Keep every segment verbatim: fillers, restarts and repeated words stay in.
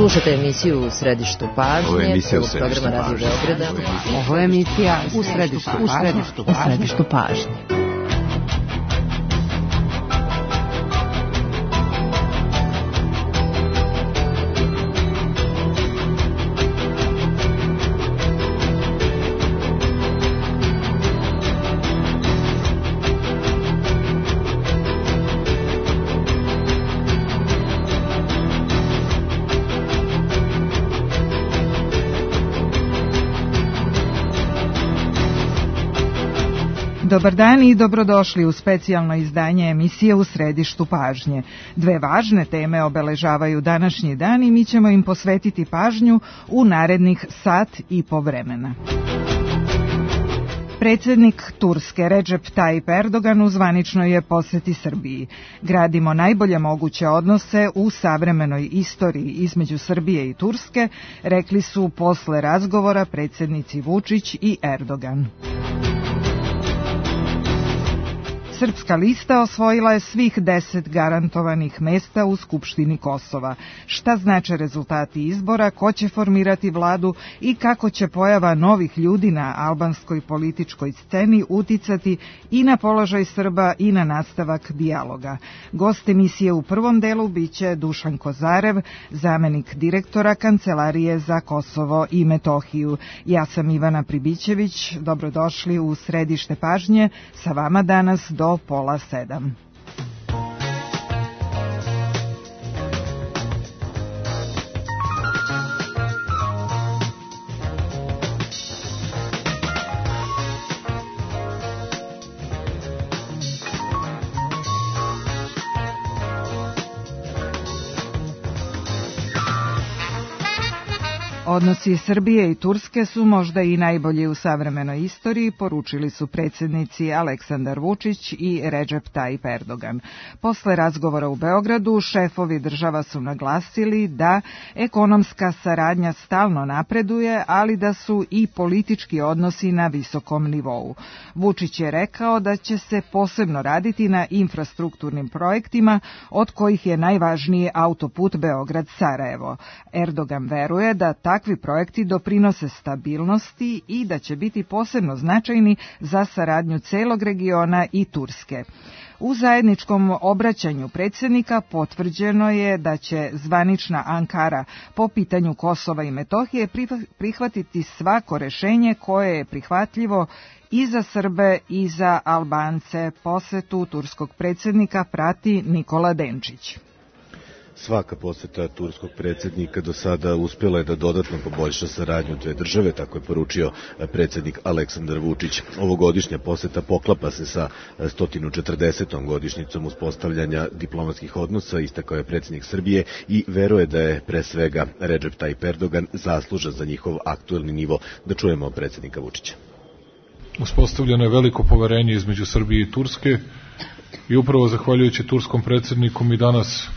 Slušate emisiju U središtu pažnje. Ovo je emisija U središtu pažnje. Radio Beograda. Ovo je emisija U središtu pažnje. U središtu pažnje. Dobar dan i dobrodošli u specijalno izdanje emisije U središtu pažnje. Dve važne teme obeležavaju današnji dan i mi ćemo im posvetiti pažnju u narednih sat i po vremena. Predsjednik Turske Recep Tayyip Erdogan u zvaničnoj je posjeti Srbiji. Gradimo najbolje moguće odnose u savremenoj istoriji između Srbije i Turske, rekli su posle razgovora predsjednici Vučić i Erdogan. Srpska lista osvojila je svih deset garantovanih mesta u Skupštini Kosova. Šta znače rezultati izbora, ko će formirati vladu i kako će pojava novih ljudi na albanskoj političkoj sceni uticati i na položaj Srba i na nastavak dijaloga. Gost emisije u prvom delu biće Dušan Kozarev, zamenik direktora Kancelarije za Kosovo i Metohiju. Ja sam Ivana Pribićević, dobrodošli u središte pažnje, sa vama danas do do pola sedam. Odnosi Srbije i Turske su možda i najbolji u savremenoj istoriji, poručili su predsjednici Aleksandar Vučić i Recep Tayyip Erdogan. Posle razgovora u Beogradu, šefovi država su naglasili da ekonomska saradnja stalno napreduje, ali da su i politički odnosi na visokom nivou. Vučić je rekao da će se posebno raditi na infrastrukturnim projektima, od kojih je najvažniji autoput Beograd-Sarajevo. Erdogan veruje da takvi projekti doprinose stabilnosti i da će biti posebno značajni za saradnju celog regiona i Turske. U zajedničkom obraćanju predsjednika potvrđeno je da će zvanična Ankara po pitanju Kosova i Metohije prihvatiti svako rešenje koje je prihvatljivo i za Srbe i za Albance. Posetu turskog predsjednika prati Nikola Denčić. Svaka poseta turskog predsjednika do sada uspjela je da dodatno poboljša saradnju dve države, tako je poručio predsjednik Aleksandar Vučić. Ovogodišnja poseta poklapa se sa sto četrdesetom godišnjicom uspostavljanja diplomatskih odnosa, istakao je predsjednik Srbije i veruje da je pre svega Recep Tayyip Erdogan zaslužan za njihov aktuelni nivo. Da čujemo predsjednika Vučića. Uspostavljeno je veliko poverenje između Srbije i Turske i upravo zahvaljujući turskom predsjedniku mi danas,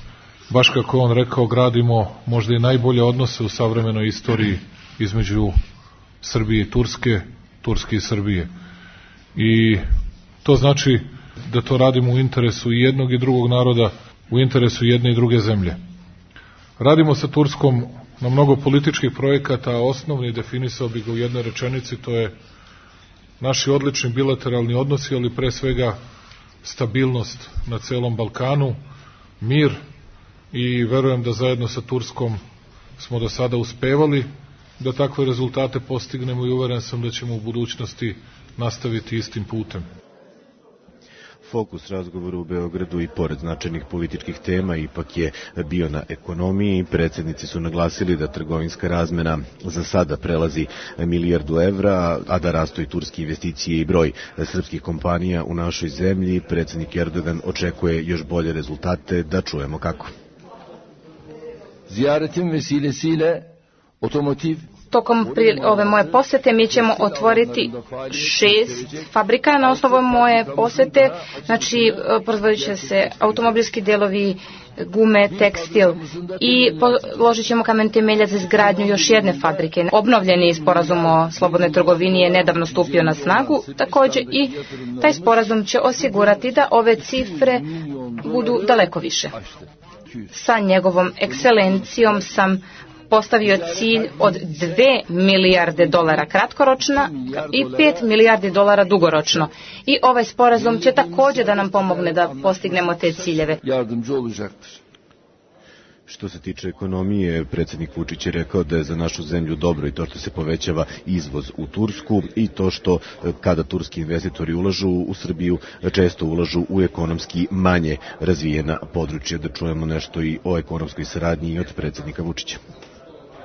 baš kako on rekao, gradimo možda i najbolje odnose u savremenoj istoriji između Srbije i Turske, Turske i Srbije. I to znači da to radimo u interesu i jednog i drugog naroda, u interesu jedne i druge zemlje. Radimo sa Turskom na mnogo političkih projekata, a osnovni definisao bi ga u jednoj rečenici, to je naši odlični bilateralni odnosi, ali pre svega stabilnost na celom Balkanu, mir, i verujem da zajedno sa Turskom smo do sada uspevali da takve rezultate postignemo i uveren sam da ćemo u budućnosti nastaviti istim putem. Fokus razgovora u Beogradu i pored značajnih političkih tema ipak je bio na ekonomiji. Predsjednici su naglasili da trgovinska razmena za sada prelazi milijardu evra, a da rastu i turske investicije i broj srpskih kompanija u našoj zemlji. Predsjednik Erdogan očekuje još bolje rezultate, da čujemo kako. Ziyaretim vesilesiyle otomotiv. Tokom ove moje posete mi ćemo otvoriti šest fabrika na osnovu moje posete, znači proizvodit će se automobilski delovi, gume, tekstil i položit ćemo kamen temeljac za izgradnju još jedne fabrike. Obnovljeni sporazum o slobodnoj trgovini je nedavno stupio na snagu, također i taj sporazum će osigurati da ove cifre budu daleko više. Sa njegovom ekscelencijom sam postavio cilj od dve milijarde dolara kratkoročno i pet milijardi dolara dugoročno. I ovaj sporazum će također da nam pomogne da postignemo te ciljeve. Što se tiče ekonomije, predsjednik Vučić je rekao da je za našu zemlju dobro i to što se povećava izvoz u Tursku i to što kada turski investitori ulažu u Srbiju, često ulažu u ekonomski manje razvijena područja. Da čujemo nešto i o ekonomskoj saradnji i od predsjednika Vučića.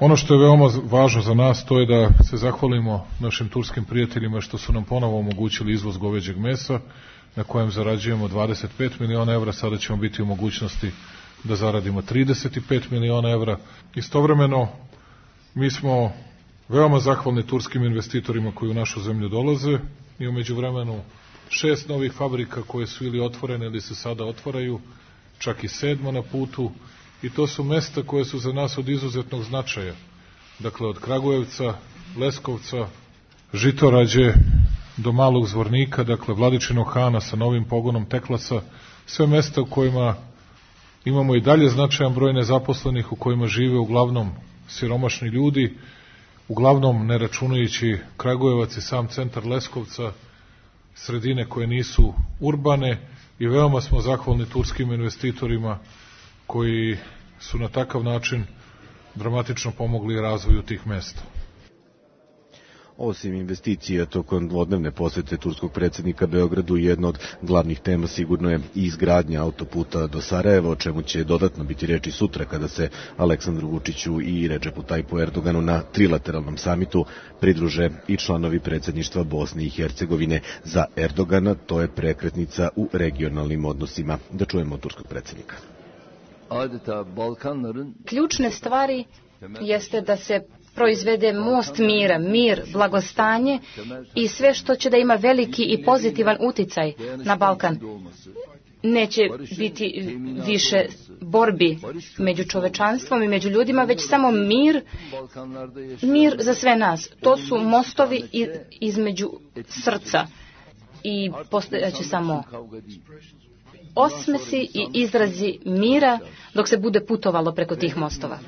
Ono što je veoma važno za nas to je da se zahvalimo našim turskim prijateljima što su nam ponovo omogućili izvoz goveđeg mesa na kojem zarađujemo dvadeset pet miliona evra, sada ćemo biti u mogućnosti da zaradimo trideset pet miliona evra. Istovremeno, mi smo veoma zahvalni turskim investitorima koji u našu zemlju dolaze i u međuvremenu šest novih fabrika koje su ili otvorene ili se sada otvaraju, čak i sedma na putu, i to su mesta koje su za nas od izuzetnog značaja. Dakle, od Kragujevca, Leskovca, Žitorađe do Malog Zvornika, dakle Vladičinog Hana sa novim pogonom Teklasa, sve mesta u kojima imamo i dalje značajan broj nezaposlenih, u kojima žive uglavnom siromašni ljudi, uglavnom ne računajući Kragujevac i sam centar Leskovca, sredine koje nisu urbane, i veoma smo zahvalni turskim investitorima koji su na takav način dramatično pomogli razvoju tih mesta. Osim investicija tokom dvodnevne posete turskog predsjednika Beogradu, jedna od glavnih tema sigurno je i izgradnja autoputa do Sarajeva, o čemu će dodatno biti reči sutra kada se Aleksandru Vučiću i Redžepu Tajipu Erdoganu na trilateralnom samitu pridruže i članovi predsjedništva Bosne i Hercegovine. Za Erdogana to je prekretnica u regionalnim odnosima. Da čujemo od turskog predsjednika. Ključne stvari jeste da se proizvede most mira, mir, blagostanje i sve što će da ima veliki i pozitivan uticaj na Balkan. Neće biti više borbi među čovečanstvom i među ljudima, već samo mir, mir za sve nas. To su mostovi između srca i postojaće samo osmesi i izrazi mira dok se bude putovalo preko tih mostova.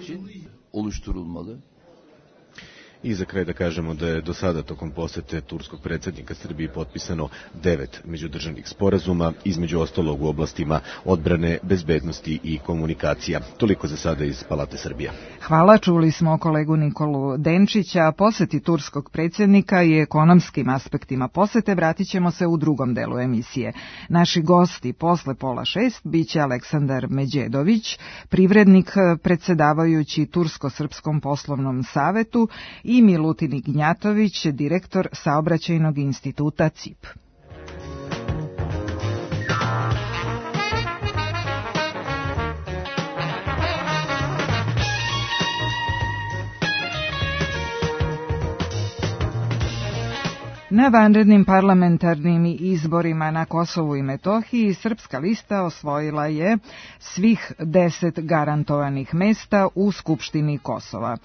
I za kraj da kažemo da je do sada tokom posete turskog predsjednika Srbiji potpisano devet međudržavnih sporazuma, između ostalog u oblastima odbrane, bezbednosti i komunikacija. Toliko za sada iz Palate Srbija. Hvala, čuli smo kolegu Nikolu Denčića. Poseti turskog predsjednika i ekonomskim aspektima posete vratit ćemo se u drugom delu emisije. Naši gosti posle pola šest biće Aleksandar Međedović, privrednik predsjedavajući Tursko-srpskom poslovnom savetu, i Milutin Ignjatović, direktor Saobraćajnog instituta C I P. Na vanrednim parlamentarnim izborima na Kosovu i Metohiji Srpska lista osvojila je svih deset garantovanih mesta u Skupštini Kosova.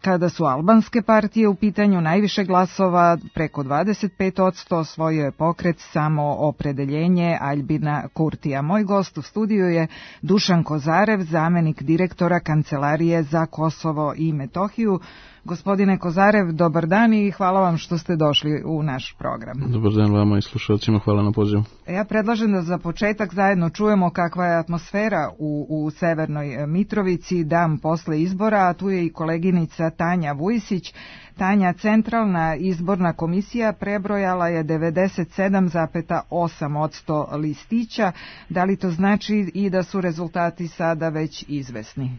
Kada su albanske partije u pitanju, najviše glasova, preko dvadeset pet posto, osvojio je pokret Samoopredeljenje Aljbina Kurtija. Moj gost u studiju je Dušan Kozarev, zamenik direktora Kancelarije za Kosovo i Metohiju. Gospodine Kozarev, dobar dan i hvala vam što ste došli u naš program. Dobar dan vama i slušalcima, hvala na pozivu. Ja predlažem da za početak zajedno čujemo kakva je atmosfera u, u Severnoj Mitrovici dan posle izbora, a tu je i koleginica Tanja Vujisić. Tanja, Centralna izborna komisija prebrojala je devedeset sedam zarez osam posto listića. Da li to znači i da su rezultati sada već izvesni?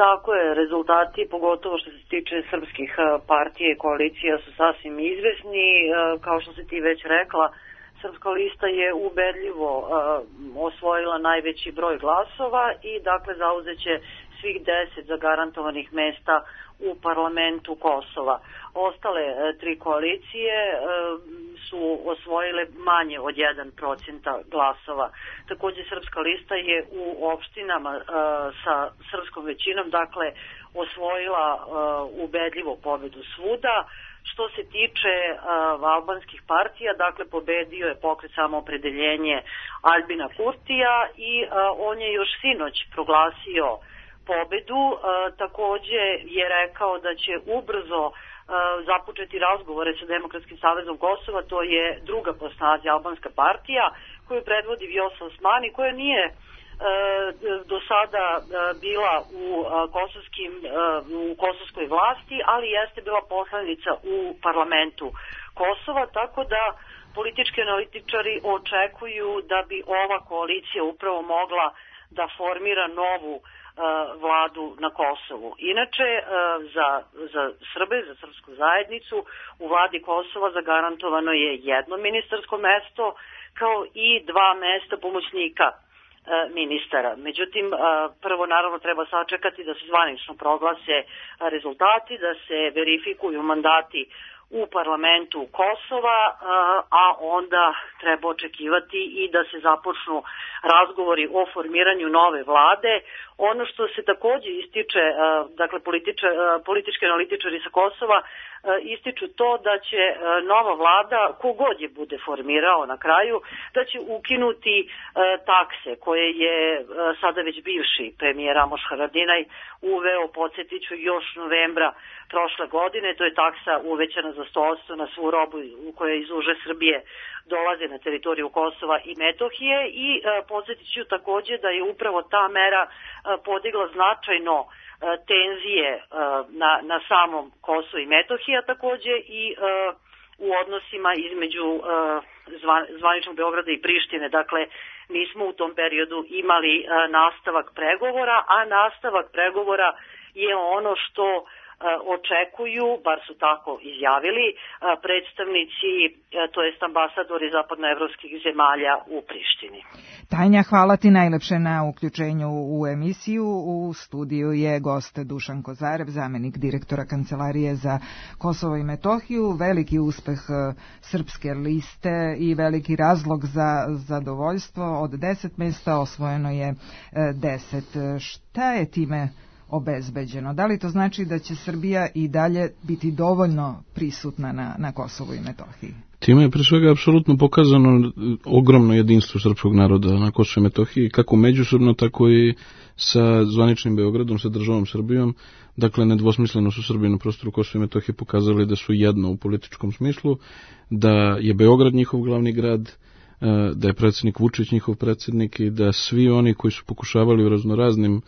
Tako je, rezultati, pogotovo što se tiče srpskih partija i koalicija, su sasvim izvesni. Kao što si ti već rekla, Srpska lista je ubedljivo osvojila najveći broj glasova i dakle zauzeće svih deset zagarantovanih mesta u parlamentu Kosova. Ostale tri koalicije su osvojile manje od jedan procenat glasova. Također Srpska lista je u opštinama sa srpskom većinom dakle osvojila ubedljivo pobedu svuda. Što se tiče uh, albanskih partija, dakle pobedio je pokret Samoopredeljenje Aljbina Kurtija i uh, on je još sinoć proglasio pobedu. Takođe je rekao da će ubrzo započeti razgovore sa Demokratskim savezom Kosova, to je druga po snazi albanska partija koju predvodi Vjosa Osmani, koja nije do sada bila u kosovskim u kosovskoj vlasti, ali jeste bila poslanica u parlamentu Kosova, tako da politički analitičari očekuju da bi ova koalicija upravo mogla da formira novu vladu na Kosovu. Inače, za, za Srbe, za srpsku zajednicu, u vladi Kosova zagarantovano je jedno ministarsko mesto, kao i dva mesta pomoćnika ministara. Međutim, prvo naravno treba sačekati da se zvanično proglase rezultati, da se verifikuju mandati u parlamentu Kosova, a onda treba očekivati i da se započnu razgovori o formiranju nove vlade. Ono što se takođe ističe, dakle političe, politički analitičari sa Kosova ističu to da će nova vlada, kogod je bude formirao na kraju, da će ukinuti takse koje je sada već bivši premijer Ramoš Haradinaj uveo, podsjetiću, još novembra prošle godine. To je taksa uvećana za sto posto na svu robu koja iz uže Srbije dolaze na teritoriju Kosova i Metohije i podsjetit ću takođe da je upravo ta mera podigla značajno tenzije na, na samom Kosovu i Metohiji, a takođe i u odnosima između zvaničnog Beograda i Prištine. Dakle, nismo u tom periodu imali nastavak pregovora, a nastavak pregovora je ono što očekuju, bar su tako izjavili, predstavnici, to jest ambasadori zapadnoevropskih zemalja u Prištini. Tanja, hvala ti najlepše na uključenju u emisiju. U studiju je gost Dušan Kozarev, zamenik direktora Kancelarije za Kosovo i Metohiju. Veliki uspeh Srpske liste i veliki razlog za zadovoljstvo. Od deset mesta osvojeno je deset. Šta je time obezbeđeno? Da li to znači da će Srbija i dalje biti dovoljno prisutna na, na Kosovu i Metohiji? Time je pre svega apsolutno pokazano ogromno jedinstvo srpskog naroda na Kosovu i Metohiji, kako međusobno, tako i sa zvaničnim Beogradom, sa državom Srbijom. Dakle, nedvosmisleno su Srbi na prostoru Kosova i Metohije pokazali da su jedno u političkom smislu, da je Beograd njihov glavni grad, da je predsjednik Vučić njihov predsjednik i da svi oni koji su pokušavali u raznoraznim,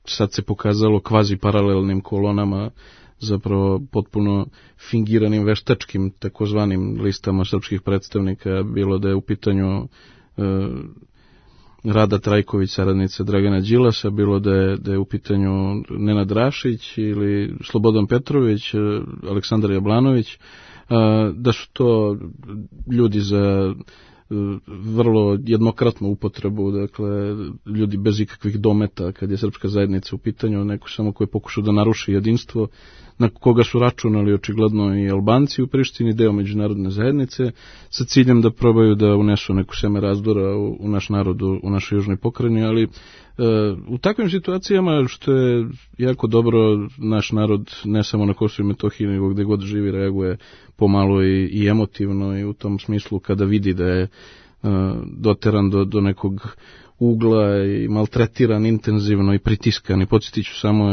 sad se pokazalo, kvazi paralelnim kolonama, zapravo potpuno fingiranim veštačkim takozvanim listama srpskih predstavnika, bilo da je u pitanju e, Rada Trajković, saradnica Dragana Đilasa, bilo da je, da je u pitanju Nenad Rašić ili Slobodan Petrović, Aleksandar Jablanović, e, da su to ljudi za vrlo jednokratnu upotrebu, dakle, ljudi bez ikakvih dometa kad je srpska zajednica u pitanju, neko samo koji je pokušao da naruši jedinstvo, na koga su računali očigledno i Albanci u Prištini, deo međunarodne zajednice, sa ciljem da probaju da unesu neku seme razdora u, u naš narod, u, u našoj južnoj pokrajini, ali e, u takvim situacijama, što je jako dobro, naš narod, ne samo na Kosovu i Metohiji, nego gde god živi, reaguje pomalo i, i emotivno, i u tom smislu kada vidi da je e, doteran do, do nekog ugla i maltretiran intenzivno i pritiskan. I podsjetit ću samo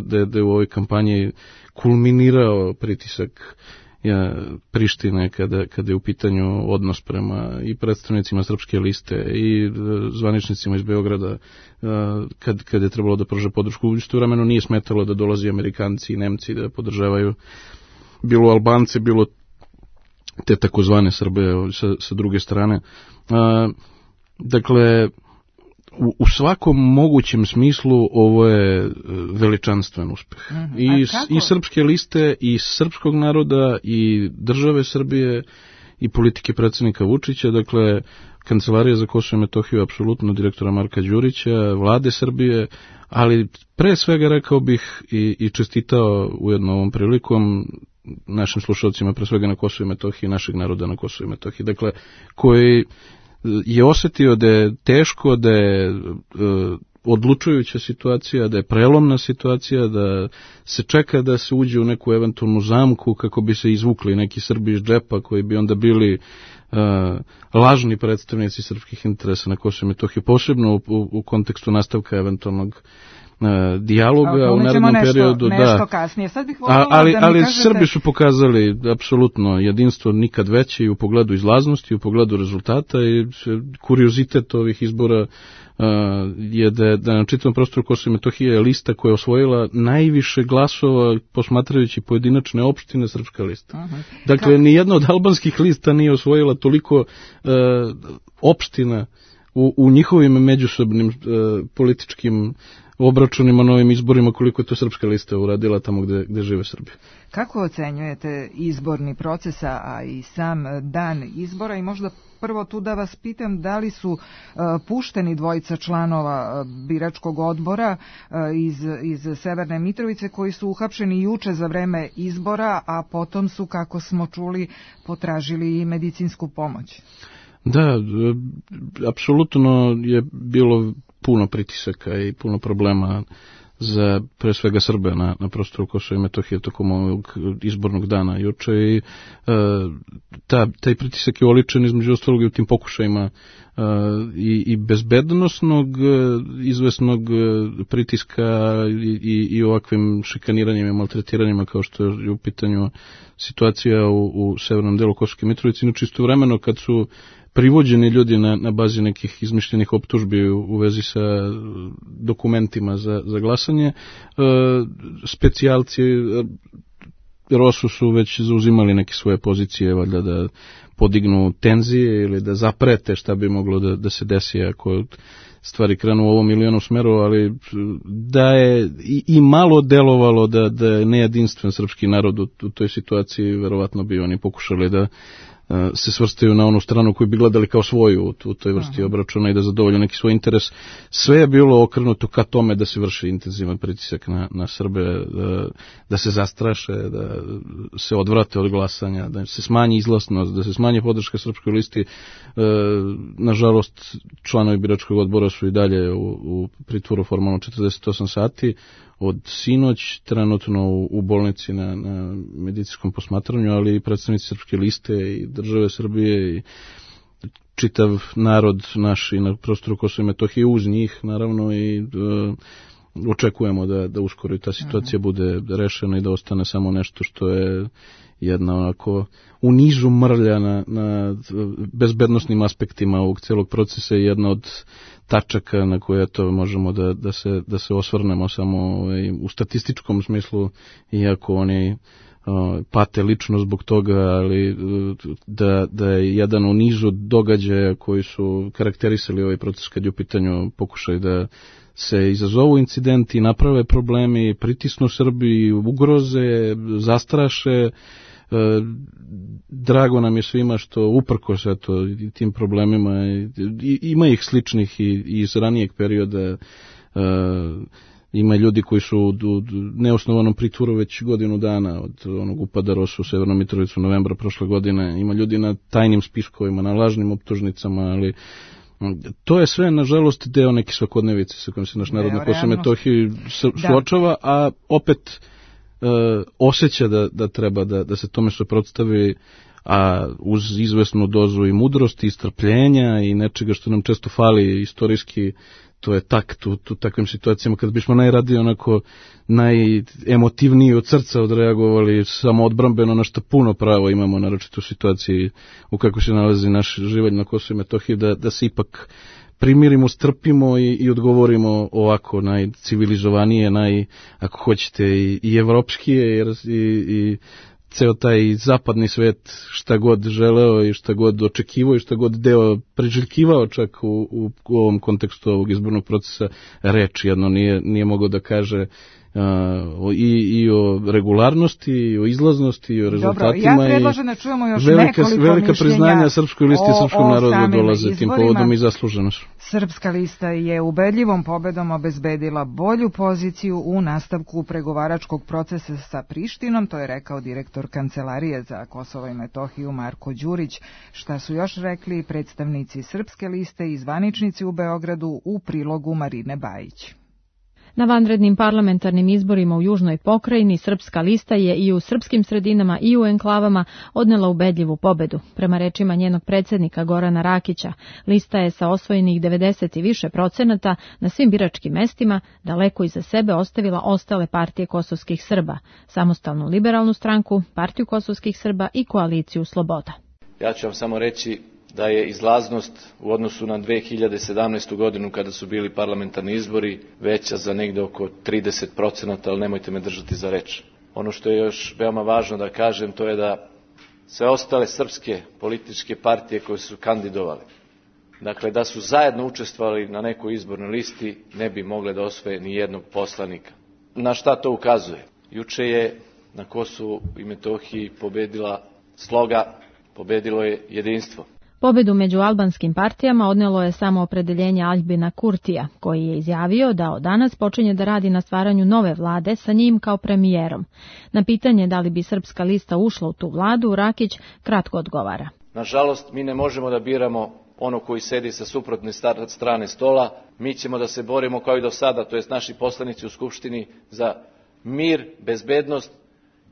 da, da je u ovoj kampanji kulminirao pritisak ja, Prištine kada, kada je u pitanju odnos prema i predstavnicima Srpske liste i zvaničnicima iz Beograda, kad, kad je trebalo da pruže podršku. U isto vremenu nije smetalo da dolazi Amerikanci i Nemci da podržavaju bilo Albance, bilo te takozvane Srbe sa, sa druge strane. Dakle, U, u svakom mogućem smislu ovo je veličanstven uspeh. Mm-hmm. I, I srpske liste, i srpskog naroda, i države Srbije, i politike predsjednika Vučića. Dakle, Kancelarija za Kosovo i Metohiju, apsolutno direktora Marka Đurića, vlade Srbije, ali pre svega rekao bih i, i čestitao ujedno ovom prilikom našim slušalcima, pre svega na Kosovo i Metohiji, našeg naroda na Kosovo i Metohiji. Dakle, koji je osjetio da je teško, da je e, odlučujuća situacija, da je prelomna situacija, da se čeka da se uđe u neku eventualnu zamku kako bi se izvukli neki Srbi iz džepa koji bi onda bili e, lažni predstavnici srpskih interesa na Kosovu i Metohiji, posebno u, u, u kontekstu nastavka eventualnog dijaloga u narednom nešto, periodu. Nešto da. kasnije. Sad bih voljela ali, da mi ali kažete... Srbi su pokazali apsolutno jedinstvo nikad veće i u pogledu izlaznosti, u pogledu rezultata i kuriozitet ovih izbora uh, je da, da na čitavom prostoru Kosova i Metohije je lista koja je osvojila najviše glasova posmatrajući pojedinačne opštine srpska lista. Uh-huh. Dakle, Ka... nijedna od albanskih lista nije osvojila toliko uh, opština u, u njihovim međusobnim uh, političkim obračunima na ovim izborima koliko je to srpska lista uradila tamo gde, gde žive Srbi. Kako ocenjujete izborni proces, a i sam dan izbora i možda prvo tu da vas pitam da li su uh, pušteni dvojica članova uh, biračkog odbora uh, iz, iz Severne Mitrovice koji su uhapšeni juče za vreme izbora, a potom su, kako smo čuli, potražili i medicinsku pomoć. Da, apsolutno je bilo puno pritisaka i puno problema za pre svega Srbe na, na prostoru Kosova i Metohije tokom ovog izbornog dana juče i e, ta, taj pritisak je oličen između ostalog i u tim pokušajima e, i, i bezbednosnog izvesnog pritiska i, i, i ovakvim šikaniranjima i maltretiranjima kao što je u pitanju situacija u, u severnom delu Kosovske Mitrovice. Inače istovremeno kad su privođeni ljudi na, na bazi nekih izmišljenih optužbi u, u vezi sa dokumentima za, za glasanje, e, specijalci e, Rosu su već zauzimali neke svoje pozicije, valjda da podignu tenzije ili da zaprete šta bi moglo da, da se desi ako stvari krenu u ovom ili onom smeru, ali da je i, i malo delovalo da, da je nejedinstven srpski narod u, u toj situaciji, verovatno bi oni pokušali da se svrstaju na onu stranu koju bi gledali kao svoju u, u toj vrsti obračuna i da zadovolju neki svoj interes. Sve je bilo okrenuto ka tome da se vrši intenzivan pritisak na, na Srbe, da, da se zastraše, da se odvrate od glasanja, da se smanji izlaznost, da se smanji podrška srpskoj listi. E, nažalost, članovi biračkog odbora su i dalje u, u pritvoru formalno četrdeset osam sati. Od sinoć, trenutno u, u bolnici na, na medicinskom posmatranju, ali i predstavnici srpske liste i države Srbije i čitav narod naš i na prostoru Kosova i Metohije uz njih, naravno, i e, očekujemo da, da uskoro i ta situacija bude rešena i da ostane samo nešto što je jedna onako u nizu mrlja na, na bezbednosnim aspektima ovog celog procesa i jedna od tačaka na koje to možemo da, da, se, da se osvrnemo samo ovaj, u statističkom smislu, iako oni o, pate lično zbog toga, ali da, da je jedan u nizu događaja koji su karakterisali ovaj proces kad je u pitanju pokušaj da se izazovu incidenti, naprave problemi, pritisnu Srbiji, ugroze, zastraše. Drago nam je svima što uprkos eto tim problemima i, ima ih sličnih i, i iz ranijeg perioda. E, ima ljudi koji su u, u neosnovanom pritvoru već godinu dana od onog upada Rosu u Severnu Mitrovicu novembra prošle godine. Ima ljudi na tajnim spiskovima, na lažnim optužnicama, ali to je sve, nažalost, deo neke svakodnevice sa kojom se naš narod na Kosovu i Metohiji suočava, a opet e, osjeća da, da treba da, da se tome suprotstavi, a uz izvesnu dozu i mudrosti, i strpljenja i nečega što nam često fali istorijski, to je takt u, u takvim situacijama kad bismo najradije onako najemotivniji od srca odreagovali samo odbrambeno, na što puno pravo imamo, naročito u situaciji u kako se nalazi naš život na Kosovu i Metohiji, da, da se ipak primirimo, strpimo i, i odgovorimo ovako najcivilizovanije, naj, ako hoćete, i, i evropskije jer, i, i ceo taj zapadni svet šta god želeo i šta god očekivao i šta god deo priželjkivao čak u, u, u ovom kontekstu ovog izbornog procesa, reč jedno nije, nije mogao da kaže uh, i, i o regularnosti, i o izlaznosti, i o rezultatima. Dobro, ja predlažem da čujemo još velika, nekoliko velika priznanja srpskoj listi i srpskom narodu dolaze izborima. Tim povodom i zasluženo su. Srpska lista je ubedljivom pobedom obezbedila bolju poziciju u nastavku pregovaračkog procesa sa Prištinom, to je rekao direktor Kancelarije za Kosovo i Metohiju Marko Đurić. Šta su još rekli predstavnici Srpske liste i zvaničnici u Beogradu u prilogu Marine Bajić. Na vanrednim parlamentarnim izborima u južnoj pokrajini Srpska lista je i u srpskim sredinama i u enklavama odnela ubedljivu pobedu. Prema rečima njenog predsjednika Gorana Rakića, lista je sa osvojenih devedeset i više procenata na svim biračkim mestima daleko iza sebe ostavila ostale partije kosovskih Srba, Samostalnu liberalnu stranku, Partiju kosovskih Srba i Koaliciju Sloboda. Ja ću vam samo reći da je izlaznost u odnosu na dve hiljade sedamnaestu. godinu kada su bili parlamentarni izbori veća za negde oko trideset procenata, ali nemojte me držati za reč. Ono što je još veoma važno da kažem, to je da sve ostale srpske političke partije koje su kandidovali, dakle da su zajedno učestvovali na nekoj izbornoj listi, ne bi mogle da osvoje ni jednog poslanika. Na šta to ukazuje? Juče je na Kosovu i Metohiji pobedila sloga, pobedilo je jedinstvo. Pobedu među albanskim partijama odnelo je samo opredeljenje Aljbina Kurtija, koji je izjavio da od danas počinje da radi na stvaranju nove vlade sa njim kao premijerom. Na pitanje da li bi Srpska lista ušla u tu vladu, Rakić kratko odgovara. Nažalost, mi ne možemo da biramo ono koji sedi sa suprotne strane stola. Mi ćemo da se borimo kao i do sada, to jest naši poslanici u Skupštini, za mir, bezbednost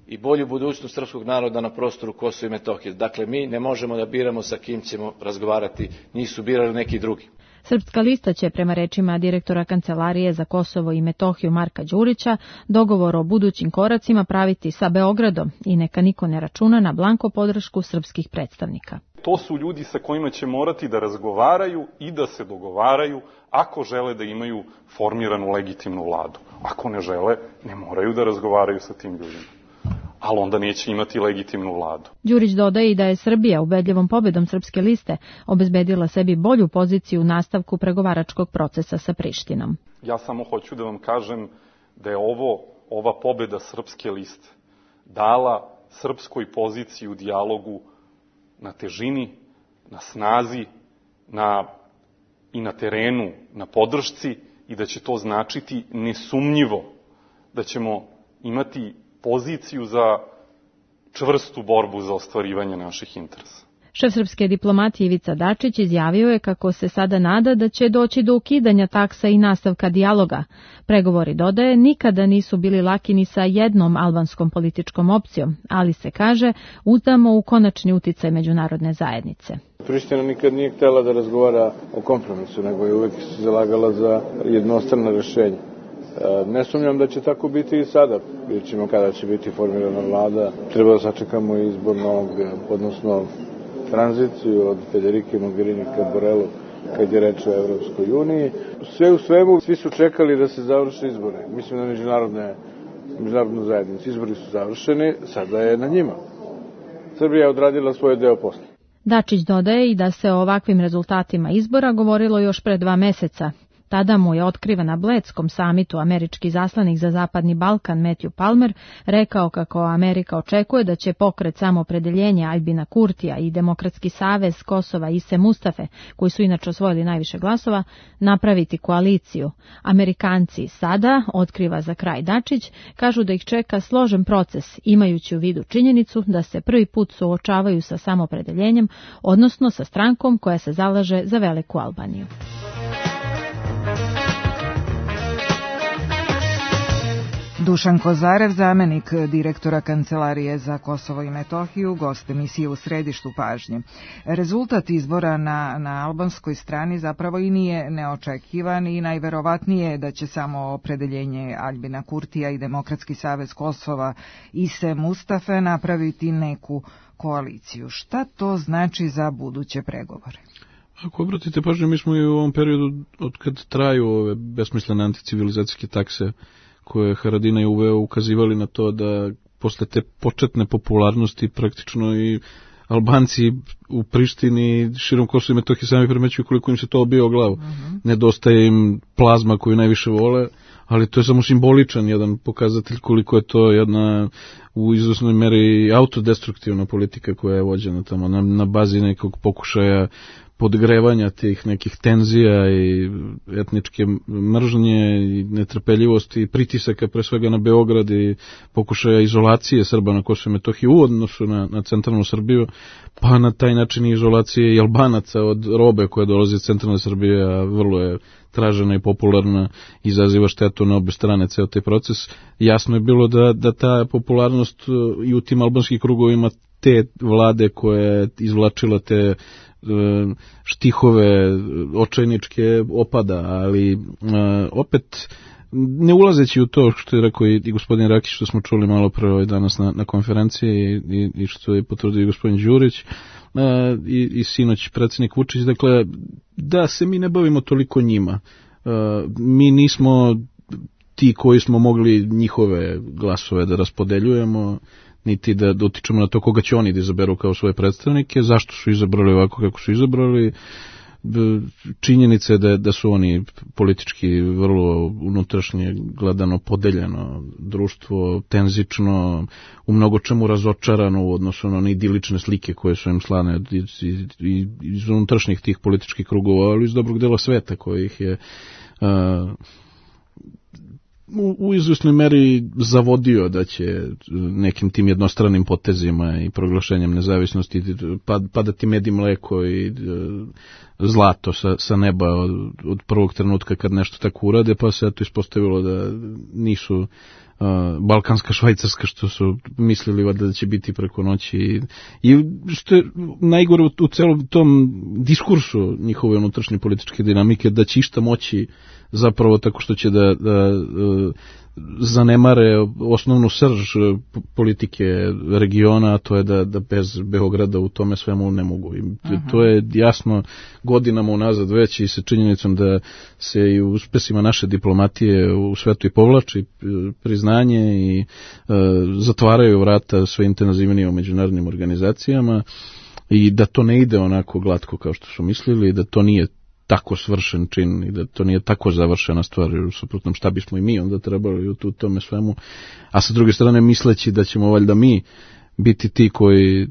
i bolju budućnost srpskog naroda na prostoru Kosova i Metohije. Dakle, mi ne možemo da biramo sa kim ćemo razgovarati, njih su birali neki drugi. Srpska lista će, prema rečima direktora Kancelarije za Kosovo i Metohiju Marka Đurića, dogovor o budućim koracima praviti sa Beogradom i neka niko ne računa na blanko podršku srpskih predstavnika. To su ljudi sa kojima će morati da razgovaraju i da se dogovaraju ako žele da imaju formiranu legitimnu vladu. Ako ne žele, ne moraju da razgovaraju sa tim ljudima, ali onda neće imati legitimnu vladu. Đurić dodaje i da je Srbija ubedljivom pobedom Srpske liste obezbedila sebi bolju poziciju u nastavku pregovaračkog procesa sa Prištinom. Ja samo hoću da vam kažem da je ovo, ova pobeda Srpske liste dala srpskoj poziciji u dijalogu na težini, na snazi, na, i na terenu, na podršci, i da će to značiti nesumnjivo da ćemo imati poziciju za čvrstu borbu za ostvarivanje naših interesa. Šef srpske diplomatije Ivica Dačić izjavio je kako se sada nada da će doći do ukidanja taksa i nastavka dijaloga. Pregovori, dodaje, nikada nisu bili laki ni sa jednom albanskom političkom opcijom, ali se kaže, uzdamo u konačni uticaj međunarodne zajednice. Priština nikad nije htjela da razgovara o kompromisu, nego je uvek se zalagala za jednostrano rešenje. Ne sumnjam da će tako biti i sada. Vidjet ćemo kada će biti formirana vlada. Treba da sačekamo izbor novog, odnosno tranziciju od Federike Mogherini ka Borelu kad je reč o Evropskoj uniji. Sve u svemu, svi su čekali da se završe izbore. Mislim na međunarodne, međunarodnu zajednicu. Izbori su završeni, sada je na njima. Srbija je odradila svoj deo posla. Dačić dodaje i da se o ovakvim rezultatima izbora govorilo još pre dva meseca. Tada mu je otkriven na Bledskom samitu američki zaslanik za Zapadni Balkan Matthew Palmer rekao kako Amerika očekuje da će pokret Samoopredeljenja Aljbina Kurtija i Demokratski savez Kosova Ise Mustafe, koji su inače osvojili najviše glasova, napraviti koaliciju. Amerikanci sada, otkriva za kraj Dačić, kažu da ih čeka složen proces, imajući u vidu činjenicu da se prvi put suočavaju sa samoopredeljenjem, odnosno sa strankom koja se zalaže za veliku Albaniju. Dušan Kozarev, zamenik direktora Kancelarije za Kosovo i Metohiju, gost emisije U središtu pažnje. Rezultat izbora na, na albanskoj strani zapravo i nije neočekivan i najverovatnije je da će samo opredeljenje Aljbina Kurtija i Demokratski savez Kosova Ise Mustafe napraviti neku koaliciju. Šta to znači za buduće pregovore? Ako obratite pažnju, mi smo i u ovom periodu, od kad traju ove besmislene anticivilizacijske takse koje Haradinaj uveo, ukazivali na to da posle te početne popularnosti praktično i Albanci u Prištini, širom Kosova i Metohije sami primećuju koliko im se to obija o glavu. Uh-huh. Nedostaje im plazma koju najviše vole, ali to je samo simboličan jedan pokazatelj koliko je to jedna u izvesnoj meri autodestruktivna politika koja je vođena tamo na, na bazi nekog pokušaja podgrevanja tih nekih tenzija i etničke mržnje i netrpeljivosti i pritisaka pre svega na Beograd i pokušaja izolacije Srba na Kosovu i Metohiji u odnosu na, na centralnu Srbiju, pa na taj način izolacije i Albanaca od robe koja dolazi iz centralne Srbije, a vrlo je tražena i popularna, izaziva štetu na obe strane ceo taj proces. Jasno je bilo da, da ta popularnost i u tim albanskim krugovima te vlade koje je izvlačila te štihove očajničke opada, ali opet ne ulazeći u to što je rekao i, i gospodin Rakić, što smo čuli malo pre ovaj danas na, na konferenciji i, i, i što je potvrdio i gospodin Đurić i, i sinoć predsjednik Vučić, dakle da se mi ne bavimo toliko njima. Mi nismo ti koji smo mogli njihove glasove da raspodeljujemo, niti da dotičemo na to koga će oni da izaberu kao svoje predstavnike, zašto su izabrali ovako kako su izabrali. Činjenica je da, da su oni politički vrlo unutrašnje gledano podeljeno društvo, tenzično, u mnogo čemu razočarano u odnosu na one idilične slike koje su im slane iz, iz, iz unutrašnjih tih političkih krugova, ali iz dobrog dela sveta kojih je uh, u, u izvjesnoj meri zavodio da će nekim tim jednostranim potezima i proglašenjem nezavisnosti pad, padati med i mleko i e, zlato sa, sa neba od, od prvog trenutka kad nešto tako urade, pa se eto ispostavilo da nisu uh, balkanska Švajcarska što su mislili da će biti preko noći i, i što je najgore u, u celom tom diskursu njihove unutrašnje političke dinamike, da će išta moći zapravo tako što će da, da uh, zanemare osnovnu srž politike regiona, a to je da, da bez Beograda u tome svemu ne mogu. I uh-huh. To je jasno godinama unazad već i sa činjenicom da se i u uspesima naše diplomatije u svetu i povlači priznanje i e, zatvaraju vrata sve intenzivnije u međunarodnim organizacijama i da to ne ide onako glatko kao što su mislili, da to nije tako svršen čin i da to nije tako završena stvar, jer u suprotnom šta bismo i mi onda trebali u tome svemu, a sa druge strane misleći da ćemo valjda mi biti ti koji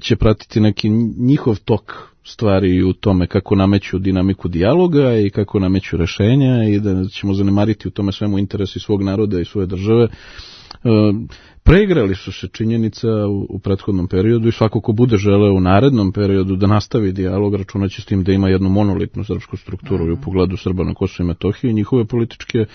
će pratiti neki njihov tok stvari u tome kako nameću dinamiku dijaloga i kako nameću rešenja i da ćemo zanemariti u tome svemu interesi svog naroda i svoje države. Preigrali su se činjenica u, u prethodnom periodu i svako ko bude želeo u narednom periodu da nastavi dijalog, računaći s tim da ima jednu monolitnu srpsku strukturu mm-hmm. u pogledu Srba na Kosovu i Metohiji i njihove političke e,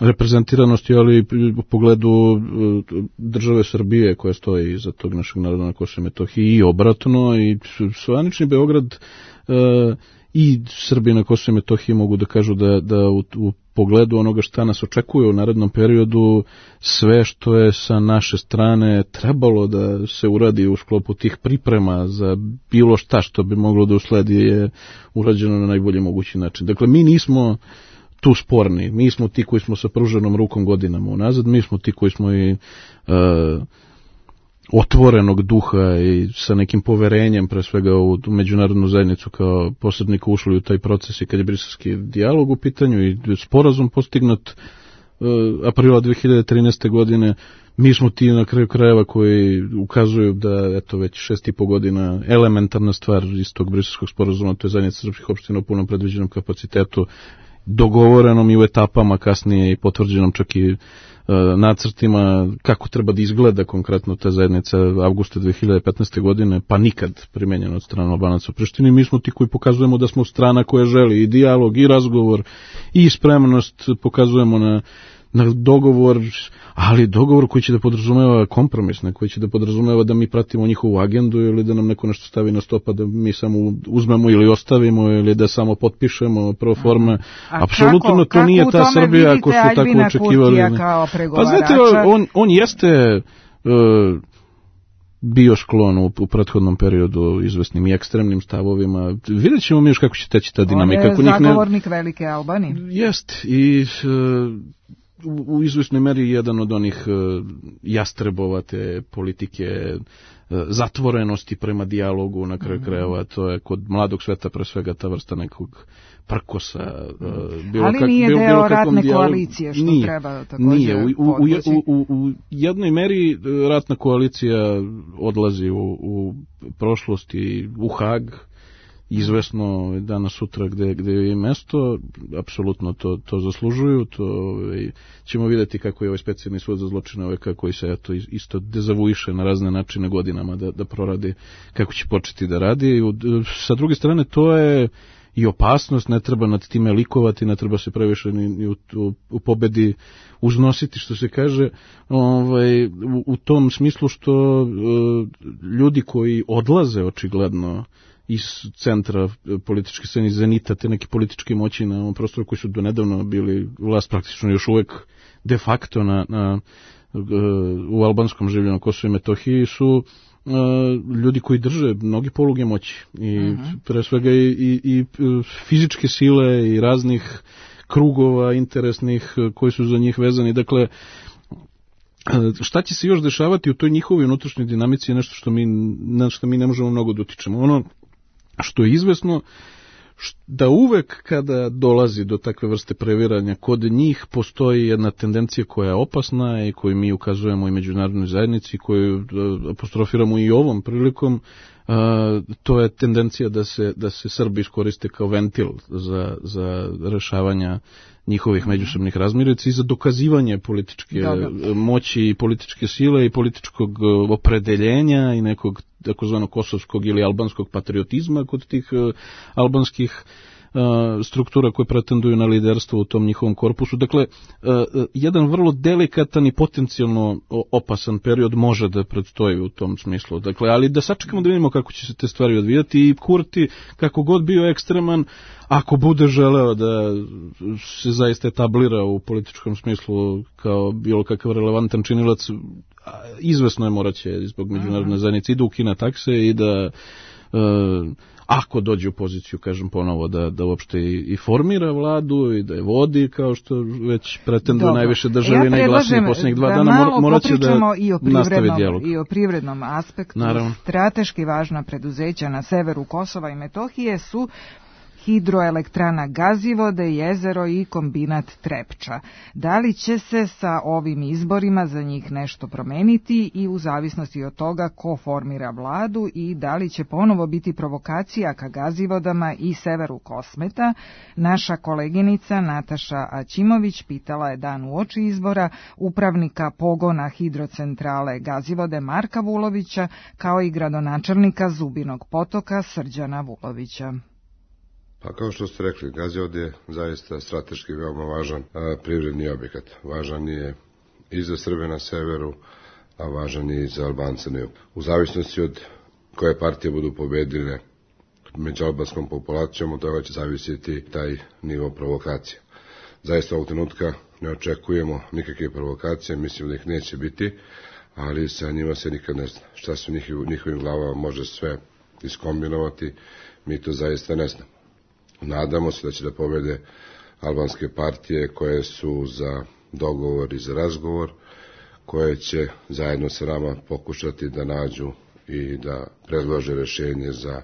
reprezentiranosti, ali i u pogledu e, države Srbije koja stoji iza tog našeg naroda na Kosovu i Metohiji i obratno, i zvanični Beograd e, i Srbi na Kosovu i Metohiji mogu da kažu da, da u, u pogledu onoga šta nas očekuje u narednom periodu, sve što je sa naše strane trebalo da se uradi u sklopu tih priprema za bilo šta što bi moglo da usledi je urađeno na najbolji mogući način. Dakle, mi nismo tu sporni, mi smo ti koji smo sa pruženom rukom godinama unazad, mi smo ti koji smo i uh, otvorenog duha i sa nekim poverenjem pre svega u međunarodnu zajednicu kao posrednika ušli u taj proces i kad je briselski dijalog u pitanju i sporazum postignut uh, aprila dve hiljade trinaeste. godine, mi smo ti na kraju krajeva koji ukazuju da eto već šest i po godina elementarna stvar iz tog briselskog sporazuma, to je zajednica srpskih opština u punom predviđenom kapacitetu, dogovorenom i u etapama kasnije i potvrđenom čak i nacrtima kako treba da izgleda konkretno ta zajednica avgusta dve hiljade petnaeste. godine, pa nikad primenjena od strane Albanaca u Prištini. Mi smo ti koji pokazujemo da smo strana koja želi i dijalog i razgovor i spremnost, pokazujemo na, na dogovor, ali dogovor koji će da podrazumeva kompromis, koji će da podrazumeva da mi pratimo njihovu agendu ili da nam neko nešto stavi na stopa da mi samo uzmemo ili ostavimo ili da samo potpišemo pro forma. Apsolutno to nije ta Srbija ako su tako očekivali. Pa znate, on, on jeste uh, bio sklon u, u prethodnom periodu izvesnim i ekstremnim stavovima. Vidjet ćemo mi još kako će teći ta dinamika. On je zagovornik ne... velike Albanije. Jest i uh, u, u izvesnoj meri jedan od onih uh, jastrebova te politike uh, zatvorenosti prema dijalogu na kraju mm-hmm. krajeva. To je kod mladog sveta pre svega ta vrsta nekog prkosa. Uh, bilo ali kak, nije bilo, deo bilo ratne dijalog, koalicije što nije, treba također nije. U, u, u, u, u jednoj meri ratna koalicija odlazi u, u prošlosti u Hag izvesno danas sutra gde, gde je mesto, apsolutno to, to zaslužuju, to ovaj, ćemo vidjeti kako je ovaj specijalni sud za zločine O V K koji se eto, isto dezavuiše na razne načine godinama da, da proradi, kako će početi da radi. Sa druge strane, to je i opasnost, ne treba nad time likovati, ne treba se previše ni, ni u, u, u pobedi uznositi, što se kaže, ovaj, u, u tom smislu što uh, ljudi koji odlaze očigledno iz centra političke scene, iz zenita, te neke političke moći na ovom prostoru koji su donedavno bili vlast praktično još uvek de facto na, na, u albanskom življenju na Kosovu i Metohiji su Uh, ljudi koji drže mnogi poluge moći i uh-huh. pre svega i, i, i fizičke sile i raznih krugova interesnih koji su za njih vezani. Dakle, šta će se još dešavati u toj njihovoj unutrašnjoj dinamici je nešto što mi, na što mi ne možemo mnogo da utičemo. Ono što je izvesno da uvek kada dolazi do takve vrste previranja, kod njih postoji jedna tendencija koja je opasna i koju mi ukazujemo i međunarodnoj zajednici, koju apostrofiramo i ovom prilikom, a, to je tendencija da se, da se Srbi iskoriste kao ventil za, za rešavanja njihovih međusobnih razmirica i za dokazivanje političke Dobre. moći i političke sile i političkog opredeljenja i nekog takozvanog kosovskog ili albanskog patriotizma kod tih uh, albanskih uh, struktura koje pretenduju na liderstvo u tom njihovom korpusu. Dakle, uh, jedan vrlo delikatan i potencijalno opasan period može da predstoji u tom smislu. Dakle, ali da sačekamo da vidimo kako će se te stvari odvijati i Kurti, kako god bio ekstreman, ako bude želeo da se zaista etablira u političkom smislu kao bilo kakav relevantan činilac, izvesno je moraće zbog međunarodne zajednice i da ukine takse i da uh, ako dođe u poziciju, kažem ponovo, da, da uopšte i, i formira vladu i da je vodi, kao što već pretenduje najviše države ja najglasnije posljednjih dva da dana, morat će da nastavi dijalog. I o privrednom aspektu. Naravno. Strateški važna preduzeća na severu Kosova i Metohije su hidroelektrana Gazivode, jezero i kombinat Trepča. Da li će se sa ovim izborima za njih nešto promeniti i u zavisnosti od toga ko formira vladu i da li će ponovo biti provokacija ka Gazivodama i severu Kosmeta, naša koleginica Nataša Aćimović pitala je dan uoči izbora upravnika pogona hidrocentrale Gazivode Marka Vulovića kao i gradonačelnika Zubinog Potoka Srđana Vulovića. Pa kao što ste rekli, Gazivode je zaista strateški veoma važan a, privredni objekat. Važan je i za Srbe na severu, a važan je i za Albance na jugu. U zavisnosti od koje partije budu pobedile među albanskom populacijom, od toga će zavisiti taj nivo provokacije. Zaista ovog trenutka ne očekujemo nikakve provokacije, mislim da ih neće biti, ali sa njima se nikad ne zna. Šta se u njihovim glavama može sve iskombinovati, mi to zaista ne znamo. Nadamo se da će da pobede albanske partije koje su za dogovor i za razgovor, koje će zajedno sa nama pokušati da nađu i da predlože rešenje za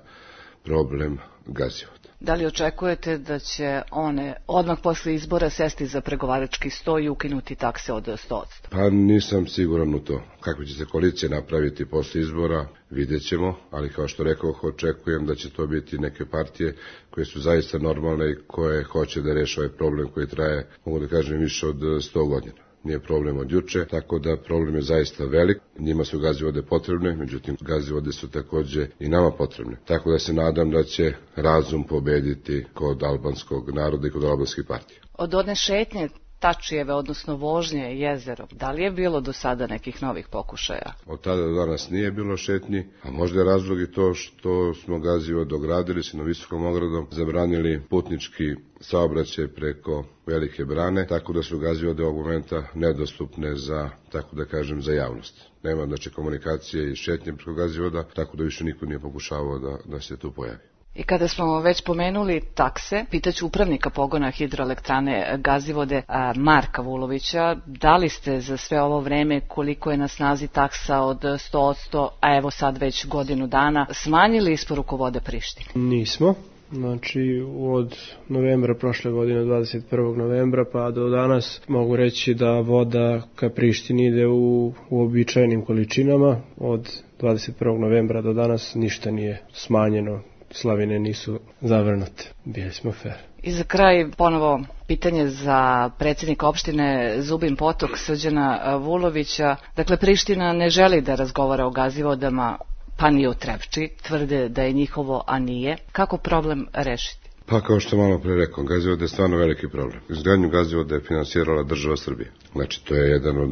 problem Gazivoda. Da li očekujete da će one odmah posle izbora sesti za pregovarački sto i ukinuti takse od sto posto? Pa nisam siguran u to. Kako će se koalicija napraviti posle izbora, vidjet ćemo, ali kao što rekao, očekujem da će to biti neke partije koje su zaista normalne i koje hoće da reše ovaj problem koji traje, mogu da kažem, više od sto godina. Nije problem od juče, tako da problem je zaista velik. Njima su Gazivode potrebne, međutim Gazivode su takođe i nama potrebne. Tako da se nadam da će razum pobediti kod albanskog naroda i kod albanskih partija. Od one šetnje Tačijeve, odnosno vožnje jezerom, da li je bilo do sada nekih novih pokušaja? Od tada do danas nije bilo šetnji, a možda je razlog i to što smo Gazivod dogradili se na visokom ogradom, zabranili putnički saobraćaj preko Velike brane, tako da su Gazivode ovog momenta nedostupne za, tako da kažem, za javnost. Nema znači komunikacije i šetnje preko Gazivoda, tako da više niko nije pokušavao da, da se tu pojavi. I kada smo već pomenuli takse, pitaću upravnika pogona hidroelektrane Gazivode Marka Vulovića, da li ste za sve ovo vreme, koliko je na snazi taksa od sto posto, a evo sad već godinu dana, smanjili isporuku vode Prištini? Nismo. Znači od novembra prošle godine, dvadeset prvog novembra pa do danas mogu reći da voda ka Prištini ide u uobičajenim količinama. Od dvadeset prvog novembra do danas ništa nije smanjeno. slavine nisu zavrnute. Bili smo fair. I za kraj ponovo pitanje za predsjednika opštine Zubin Potok, Srđana Vulovića. Dakle, Priština ne želi da razgovara o Gazivodama, pa ni o Trepči. Tvrde da je njihovo, a nije. Kako problem rešiti? Pa kao što malo pre rekao, Gazivode je stvarno veliki problem. Izgradnju Gazivoda je finansirala država Srbije. Znači, to je jedan od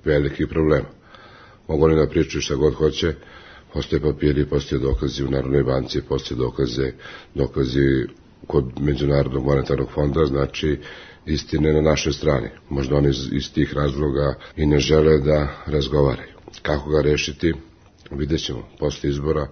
velikih problema. Mogu oni da pričaju šta god hoće, postoje papiri, postoje dokazi u Narodnoj banci, postoje dokaze, dokazi kod Međunarodnog monetarnog fonda, znači istine na našoj strani. Možda oni iz, iz tih razloga i ne žele da razgovaraju. Kako ga rešiti, vidjet ćemo. Posle izbora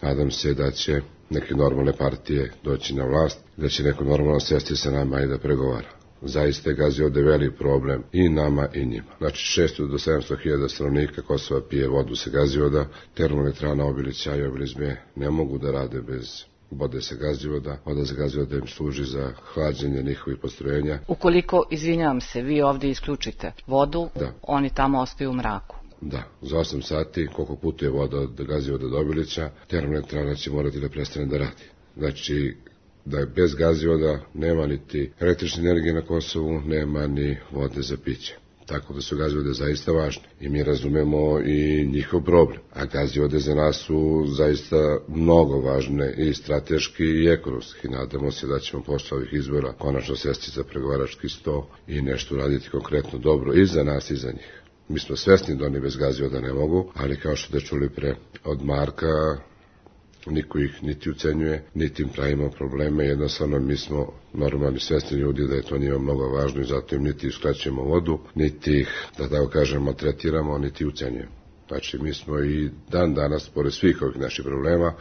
nadam se da će neke normalne partije doći na vlast, da će neko normalno sesti sa nama i da pregovara. Zaista je Gazivode veliki problem i nama i njima. Znači šesto do sedamsto hiljada stanovnika Kosova pije vodu sa Gazivoda, termoelektrana Obilića i Obilizme ne mogu da rade bez vode sa Gazivoda, voda sa Gazivoda im služi za hlađenje njihovih postrojenja. Ukoliko, izvinjavam se, vi ovdje isključite vodu, da. Oni tamo ostaju u mraku. Da, za osam sati, koliko putuje voda od Gazivoda do Obilića, termoelektrana će morati da prestane da radi. Znači, da bez Gazivoda nema niti električne energije na Kosovu, nema ni vode za piće. Tako da su Gazivode zaista važne i mi razumemo i njihov problem. A Gazivode za nas su zaista mnogo važne i strateški i ekonomski. Nadamo se da ćemo posle ovih izbora konačno sesti za pregovarački sto i nešto raditi konkretno dobro i za nas i za njih. Mi smo svesni da oni bez Gazivoda ne mogu, ali kao što ste čuli pre od Marka, niko ih niti ucenjuje, niti im pravimo probleme, jednostavno mi smo normalni svesni ljudi da je to njima mnogo važno i zato im niti uskraćujemo vodu, niti ih, da tako kažemo, tretiramo, niti ucenjujemo. Znači mi smo i dan danas, pored svih ovih naših problema,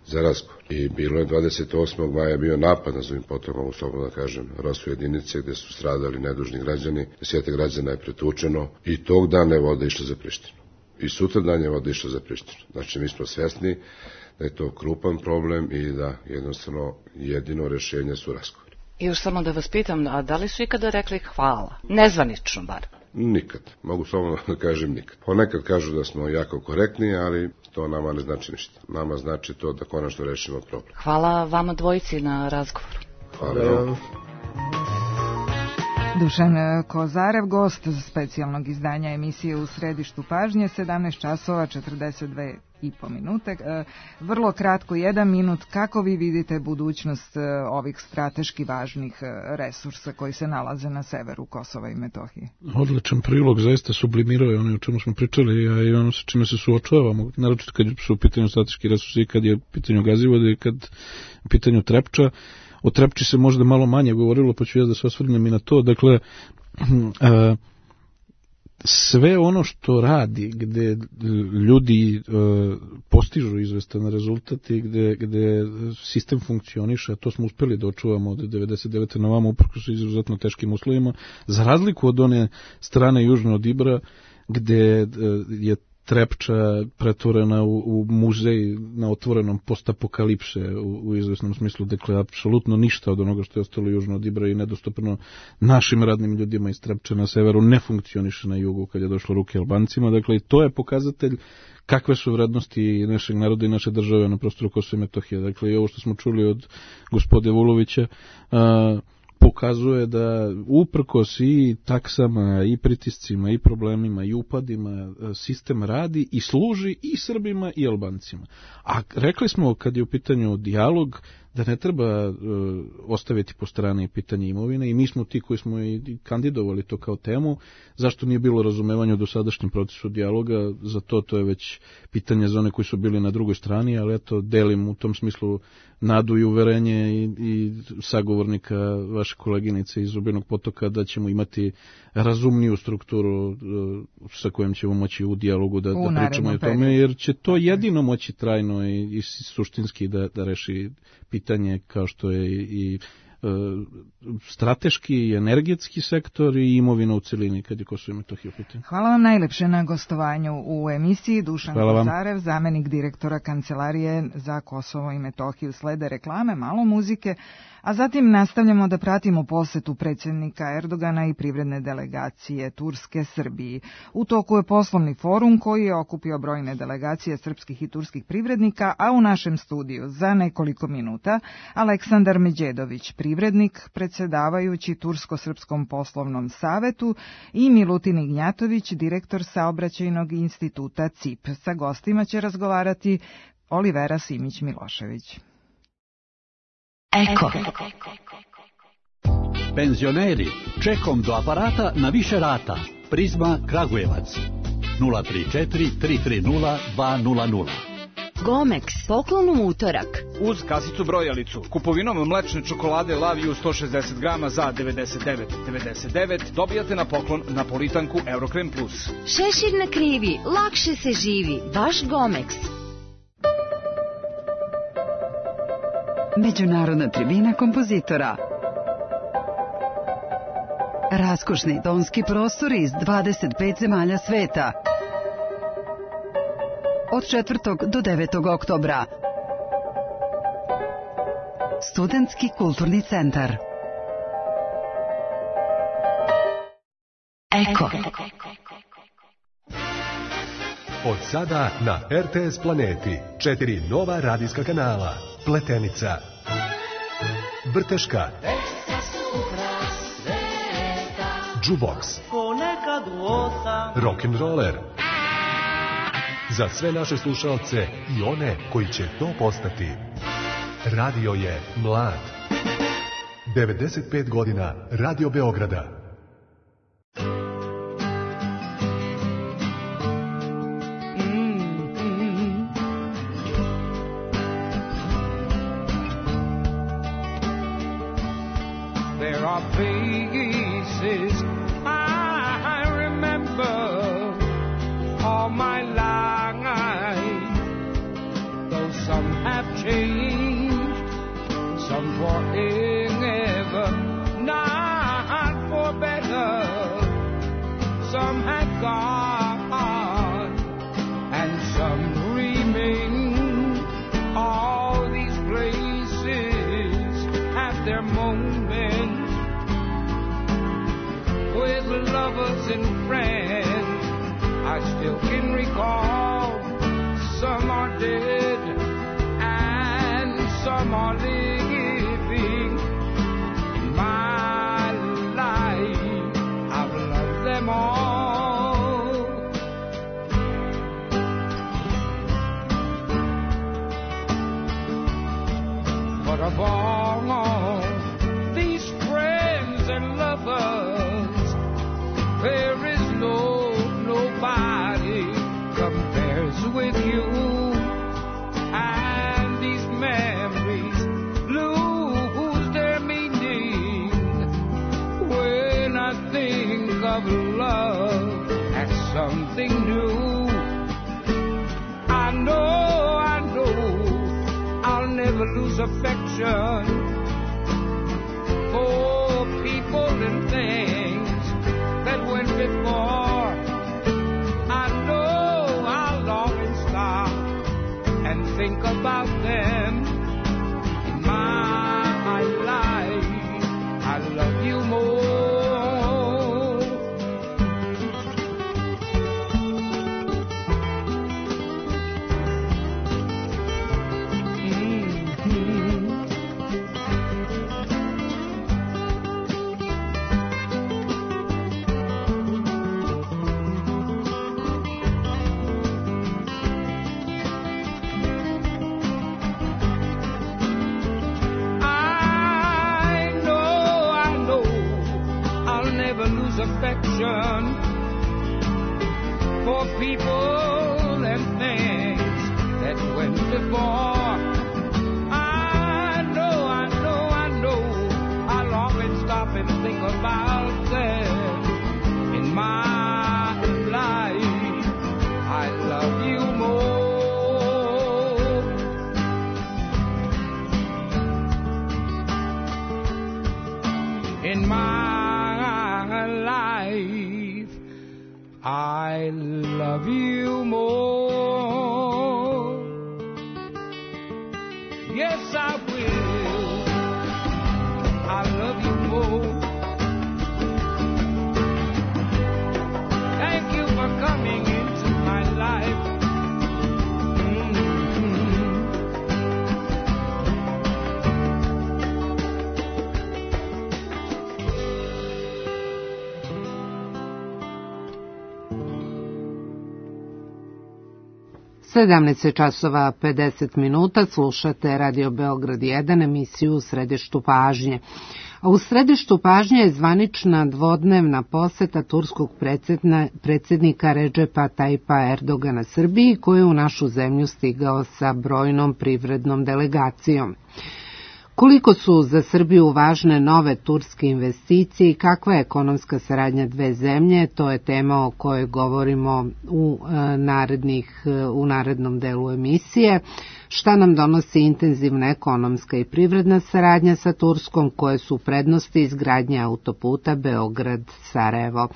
za razgovor. I bilo je dvadeset osmog maja bio napad na Zubin Potok, mogu slobodno da kažem, Rosu jedinice gde su stradali nedužni građani, desetak građana je pretučeno i tog dana je voda išla za Prištinu. I sutra dan je voda išla za Prištinu. Znači mi smo svesni da je to krupan problem i da jednostavno jedino rešenje su razgovori. I još samo da vas pitam, a da li su ikada rekli hvala? Nezvanično bar. Nikad. Mogu slobodno da kažem nikad. Ponekad kažu da smo jako korektni, ali to nama ne znači ništa. Nama znači to da konačno rešimo problem. Hvala vama dvojici na razgovoru. Hvala. Dušan Kozarev, gost specijalnog izdanja emisije U središtu pažnje, sedamnaest časova četrdeset dve i po minute. Vrlo kratko, jedan minut, kako vi vidite budućnost ovih strateški važnih resursa koji se nalaze na severu Kosova i Metohije? Odličan prilog, zaista sublimirao je ono o čemu smo pričali, a i ono sa čime se suočavamo, naročito kad su u pitanju strateški resursi i kad je u pitanju Gazivode i kad je u pitanju Trepča. O Trepči se možda malo manje govorilo, pa ću ja da se osvrnem i na to. Dakle, sve ono što radi, gde ljudi postižu izvestan rezultat i gde, gde sistem funkcioniše, a to smo uspeli da očuvamo od devedeset devete na vama, uprkos izuzetno teškim uslovima, za razliku od one strane južno od Ibra, gde je Trepča pretvorena u, u muzej na otvorenom postapokalipse u, u izvesnom smislu, dakle apsolutno ništa od onoga što je ostalo južno od Ibra i nedostupno našim radnim ljudima iz Trepče na severu ne funkcioniše na jugu kad je došlo ruke Albancima, dakle i to je pokazatelj kakve su vrednosti našeg naroda i naše države na prostoru Kosova i Metohije. Dakle i ovo što smo čuli od gospode Vulovića a, pokazuje da uprkos i taksama, i pritiscima, i problemima, i upadima, sistem radi i služi i Srbima i Albancima. A rekli smo, kad je u pitanju dijalog, da ne treba uh, ostaviti po strani pitanje imovine i mi smo ti koji smo i kandidovali to kao temu. Zašto nije bilo razumevanja u dosadašnjem procesu dijaloga? Za to to je već pitanje za one koji su bili na drugoj strani, ali eto, delim u tom smislu nadu i uverenje i, i sagovornika vaše koleginice iz Zubinog Potoka da ćemo imati razumniju strukturu uh, sa kojom ćemo moći u dijalogu da, da pričamo o tome, jer će to jedino moći trajno i, i suštinski da, da reši pitanje kao što je i strateški i energetski sektor i imovina u celini kad je Kosovo i Metohija u pitanju. Hvala vam najlepše na gostovanju u emisiji. Dušan Kozarev, zamenik direktora Kancelarije za Kosovo i Metohiju. Slede reklame, malo muzike, a zatim nastavljamo da pratimo posetu predsjednika Erdogana i privredne delegacije Turske Srbiji. U toku je poslovni forum koji je okupio brojne delegacije srpskih i turskih privrednika, a u našem studiju za nekoliko minuta Aleksandar Međedović, privrednik, predsjedavajući Tursko-srpskom poslovnom savetu, i Milutin Ignjatović, direktor saobraćajnog instituta C I P. Sa gostima će razgovarati Olivera Simić-Milošević. Eko. Penzioneri, čekom do aparata na više rata. Prizma Kragujevac. nula tri četiri tri tri nula dva nula nula. Gomex, poklon u utorak. Uz kasicu brojalicu, kupovinom mlečne čokolade Laviju sto šezdeset grama za devedeset devet devedeset devet dobijate na poklon napolitanku Eurokrem Plus. Šešir na krivi, lakše se živi, baš Gomex. Međunarodna tribina kompozitora. Raskošni tonski prostori iz dvadeset pet zemalja sveta. Od četvrtog do devetog oktobra. Studentski kulturni centar. Eko. Od sada na R T S Planeti četiri nova radijska kanala. Pletenica, Vrteška, Jukebox, Rock'n'Roller. Za sve naše slušalce i one koji će to postati. Radio je mlad. devedeset pet godina Radio Beograda. in my life. I love you more. Yes, I will. I love you more. Thank you for coming into my life. sedamnaest časova pedeset minuta, slušate Radio Beograd jedan, emisiju u središtu pažnje. A u središtu pažnje je zvanična dvodnevna poseta turskog predsjednika Redžepa Tajipa Erdogana Srbiji, koji je u našu zemlju stigao sa brojnom privrednom delegacijom. Koliko su za Srbiju važne nove turske investicije i kakva je ekonomska saradnja dve zemlje, to je tema o kojoj govorimo u, narednih, u narednom delu emisije. Šta nam donosi intenzivna ekonomska i privredna saradnja sa Turskom, koje su prednosti izgradnje autoputa Beograd-Sarajevo.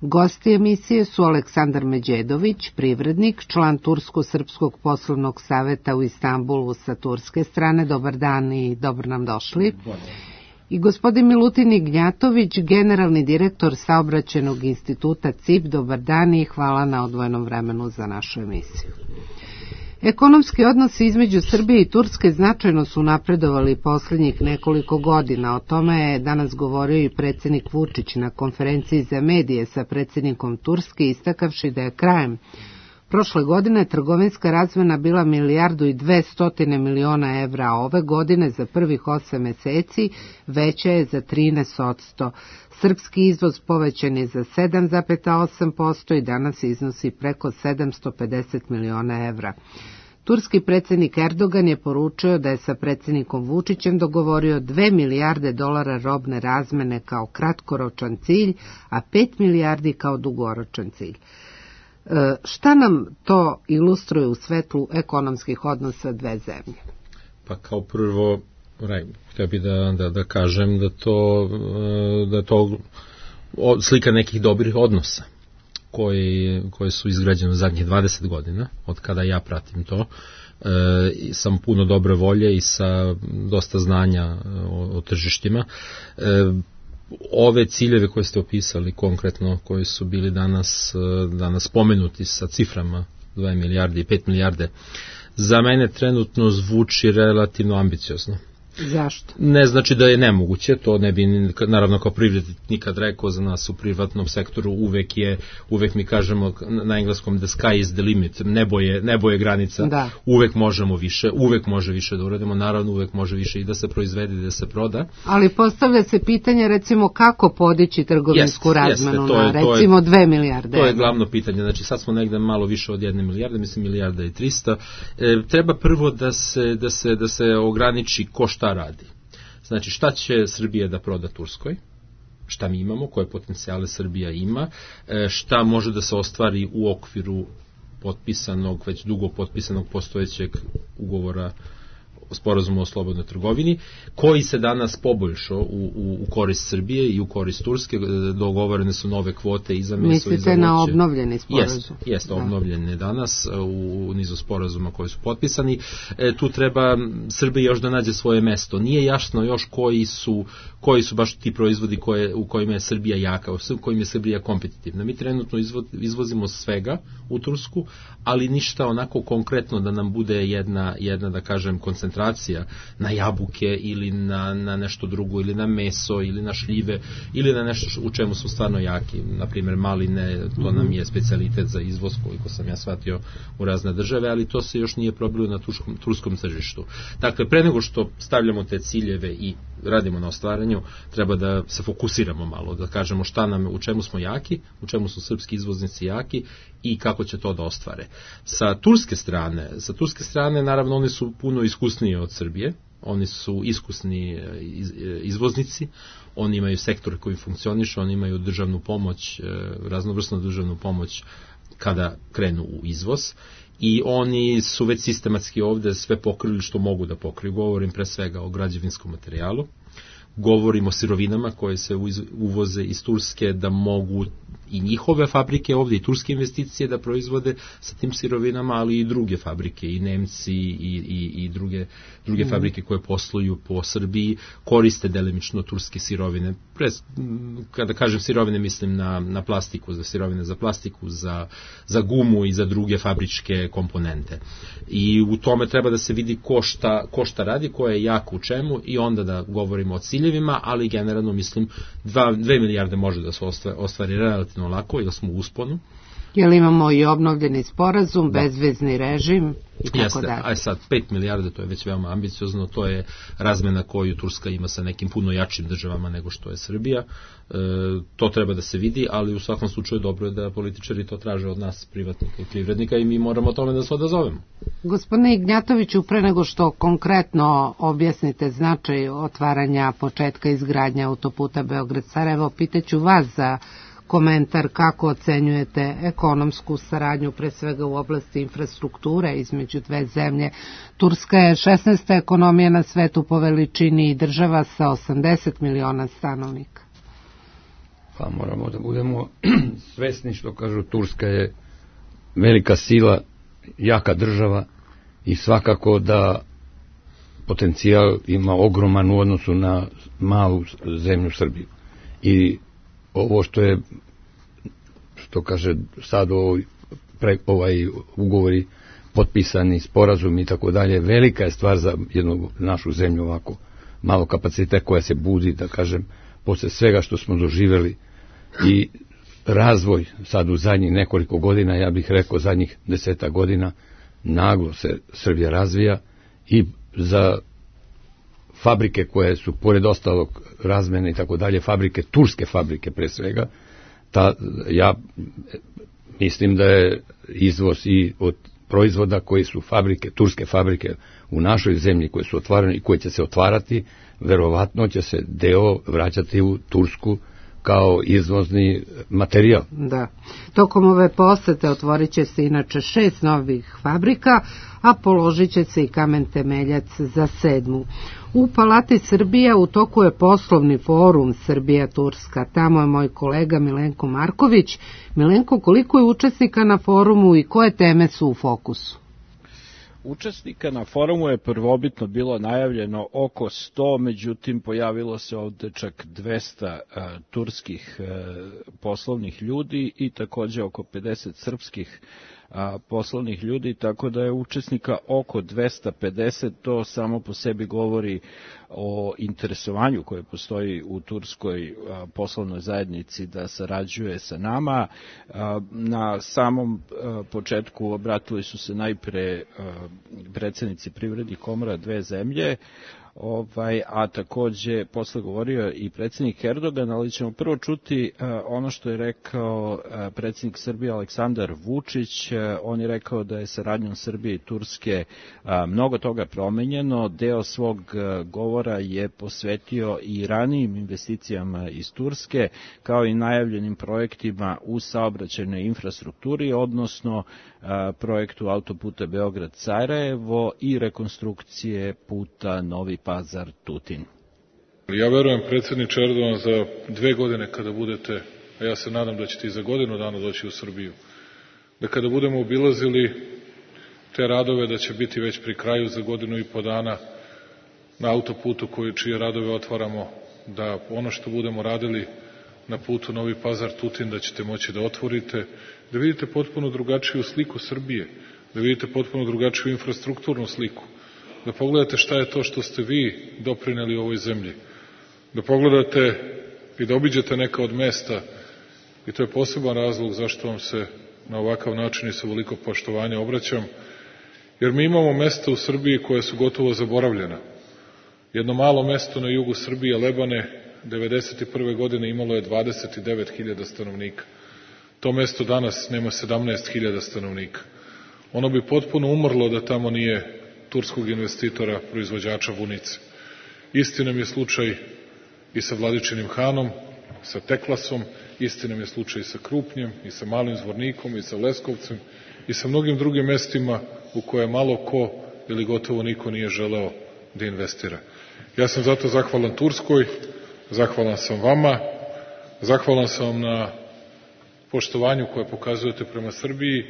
Gosti emisije su Aleksandar Međedović, privrednik, član Tursko-srpskog poslovnog saveta u Istanbulu sa turske strane. Dobar dan i dobro nam došli. I gospodin Milutin Ignjatović, generalni direktor Saobraćajnog instituta C I P. Dobar dan i hvala na odvojenom vremenu za našu emisiju. Ekonomski odnosi između Srbije i Turske značajno su napredovali posljednjih nekoliko godina. O tome je danas govorio i predsjednik Vučić na konferenciji za medije sa predsjednikom Turske, istakavši da je krajem prošle godine trgovinska razmjena bila milijardu i dvestotine miliona evra, a ove godine za prvih osam meseci veća je za trinaest posto. Srpski izvoz povećan je za sedam zarez osam posto i danas iznosi preko sedamsto pedeset miliona evra. Turski predsjednik Erdogan je poručio da je sa predsjednikom Vučićem dogovorio dve milijarde dolara robne razmene kao kratkoročan cilj, a pet milijardi kao dugoročan cilj. E, šta nam to ilustruje u svetlu ekonomskih odnosa dve zemlje? Pa kao prvo, Raj, htio bih da, da, da kažem da to, da to slika nekih dobrih odnosa koji, koji su izgrađeni u zadnjih dvadeset godina, od kada ja pratim to, e, sam puno dobre volje i sa dosta znanja o, o tržištima. E, ove ciljeve koje ste opisali konkretno, koji su bili danas, danas spomenuti sa ciframa dve milijarde i pet milijarde, za mene trenutno zvuči relativno ambiciozno. Zašto? Ne znači da je nemoguće, to ne bi naravno kao privrednik nikad rekao. Za nas u privatnom sektoru uvek je, uvek mi kažemo na engleskom the sky is the limit, nebo je, nebo je granica, da. Uvek možemo više, uvek može više da uradimo, naravno uvek može više i da se proizvede i da se proda. Ali postavlja se pitanje recimo kako podići trgovinsku jest, razmenu jeste, na je, recimo dve milijarde. To je glavno pitanje, znači sad smo negde malo više od jedne milijarde, mislim milijarda i trista. E, treba prvo da se, da se, da se ograniči ko šta radi. Znači šta će Srbija da proda Turskoj, šta mi imamo, koje potencijale Srbija ima, šta može da se ostvari u okviru potpisanog, već dugo potpisanog postojećeg ugovora o sporazumu o slobodnoj trgovini, koji se danas poboljšao u, u, u korist Srbije i u korist Turske. Dogovorene su nove kvote i za meso i za voće. Mislite na obnovljeni sporazum? Jeste, jest, obnovljene danas u, u nizu sporazuma koji su potpisani. E, tu treba Srbija još da nađe svoje mesto. Nije jasno još koji su, koji su baš ti proizvodi koje, u kojima je Srbija jaka, u kojima je Srbija kompetitivna. Mi trenutno izvo, izvozimo svega u Tursku, ali ništa onako konkretno da nam bude jedna, jedna da kažem, koncentracija na jabuke ili na, na nešto drugo, ili na meso, ili na šljive, ili na nešto u čemu su stvarno jaki. Naprimjer, maline, to nam je specijalitet za izvoz, koliko sam ja shvatio, u razne države, ali to se još nije probilo na turskom, turskom tržištu. Dakle, pre nego što stavljamo te ciljeve i radimo na ostvaranju, treba da se fokusiramo malo, da kažemo šta nam, u čemu smo jaki, u čemu su srpski izvoznici jaki i kako će to da ostvare. Sa turske strane, sa turske strane, naravno, oni su puno iskusniji od Srbije, oni su iskusni izvoznici, oni imaju sektor koji funkcioniše, oni imaju državnu pomoć, raznovrsnu državnu pomoć kada krenu u izvoz, i oni su već sistematski ovde sve pokrili što mogu da pokriju. Govorim pre svega o građevinskom materijalu, govorimo o sirovinama koje se uvoze iz Turske, da mogu i njihove fabrike ovdje i turske investicije da proizvode sa tim sirovinama, ali i druge fabrike, i Nemci i, i, i druge, druge mm. fabrike koje posluju po Srbiji koriste delimično turske sirovine. Pre, kada kažem sirovine, mislim na, na plastiku, za sirovine za plastiku, za, za gumu i za druge fabričke komponente. I u tome treba da se vidi ko šta, ko šta radi, ko je jako u čemu, i onda da govorimo o ciljevima, ali generalno mislim dva, dve milijarde može da se ostvari, ostvari relativno lako, jer smo u usponu. Jel imamo i obnovljeni sporazum, da. bezvezni režim i tako Jeste, dalje? a sad pet milijarde, to je već veoma ambiciozno, to je razmena koju Turska ima sa nekim puno jačim državama nego što je Srbija. E, to treba da se vidi, ali u svakom slučaju dobro je da političari to traže od nas, privatnika i privrednika, i mi moramo tome da se odazovemo. Gospodine Ignjatoviću, pre nego što konkretno objasnite značaj otvaranja početka izgradnje autoputa Beograd-Sarajevo, pitaću vas za komentar kako ocenjujete ekonomsku saradnju, pre svega u oblasti infrastrukture između dve zemlje. Turska je šesnaesta ekonomija na svetu po veličini i država sa osamdeset miliona stanovnika. Pa moramo da budemo svesni, što kažu, Turska je velika sila, jaka država i svakako da potencijal ima ogroman u odnosu na malu zemlju Srbiju. I ovo što je, što kaže sad ovaj, pre, ovaj ugovori potpisani, sporazum i tako dalje, velika je stvar za jednu našu zemlju ovako malo kapaciteta koja se budi, da kažem, posle svega što smo doživeli, i razvoj sad u zadnjih nekoliko godina, ja bih rekao zadnjih deseta godina, naglo se Srbija razvija, i za fabrike koje su, pored ostalog razmene i tako dalje, fabrike, turske fabrike pre svega, ta, ja mislim da je izvoz i od proizvoda koji su fabrike, turske fabrike u našoj zemlji koje su otvarane i koje će se otvarati, verovatno će se deo vraćati u Tursku kao izvozni materijal. Da. Tokom ove posete otvorit će se inače šest novih fabrika, a položit će se i kamen temeljac za sedmu. U Palati Srbija u toku je poslovni forum Srbija-Turska. Tamo je moj kolega Milenko Marković. Milenko, koliko je učesnika na forumu i koje teme su u fokusu? Učesnika na forumu je prvobitno bilo najavljeno oko sto, međutim pojavilo se ovde čak dvesta a, turskih a, poslovnih ljudi i takođe oko pedeset srpskih a, poslovnih ljudi, tako da je učesnika oko dvesta pedeset. To samo po sebi govori o interesovanju koje postoji u turskoj a, poslovnoj zajednici da sarađuje sa nama. A, na samom a, početku obratili su se najpre a, predsjednici privrednih komora dve zemlje, ovaj, a takođe posle govorio i predsjednik Erdogan, ali ćemo prvo čuti uh, ono što je rekao uh, predsjednik Srbije Aleksandar Vučić. Uh, on je rekao da je saradnjom Srbije i Turske uh, mnogo toga promenjeno. Deo svog uh, govora je posvetio i ranijim investicijama iz Turske, kao i najavljenim projektima u saobraćajnoj infrastrukturi, odnosno uh, projektu autoputa Beograd-Sarajevo i rekonstrukcije puta Novi Pazar-Tutin. Ja verujem, predsjedniče Erdogan, za dve godine kada budete, a ja se nadam da ćete i za godinu dana doći u Srbiju, da kada budemo obilazili te radove, da će biti već pri kraju za godinu i po dana na autoputu koji, čije radove otvaramo, da ono što budemo radili na putu Novi Pazar-Tutin, da ćete moći da otvorite, da vidite potpuno drugačiju sliku Srbije, da vidite potpuno drugačiju infrastrukturnu sliku, da pogledate šta je to što ste vi doprineli ovoj zemlji, da pogledate i da obiđete neka od mesta, i to je poseban razlog zašto vam se na ovakav način i sa veliko poštovanja obraćam, jer mi imamo mesta u Srbiji koje su gotovo zaboravljena. Jedno malo mesto na jugu Srbije, Lebane, devedeset prve godine imalo je dvadeset devet hiljada stanovnika. To mesto danas nema sedamnaest hiljada stanovnika. Ono bi potpuno umrlo da tamo nije turskog investitora, proizvođača vunice. Isti nam je slučaj i sa Vladičinim Hanom, sa Teklasom, isti nam je slučaj i sa Krupnjem, i sa Malim Zvornikom, i sa Leskovcem, i sa mnogim drugim mestima u koje malo ko ili gotovo niko nije želeo da investira. Ja sam zato zahvalan Turskoj, zahvalan sam vama, zahvalan sam vam na poštovanju koje pokazujete prema Srbiji,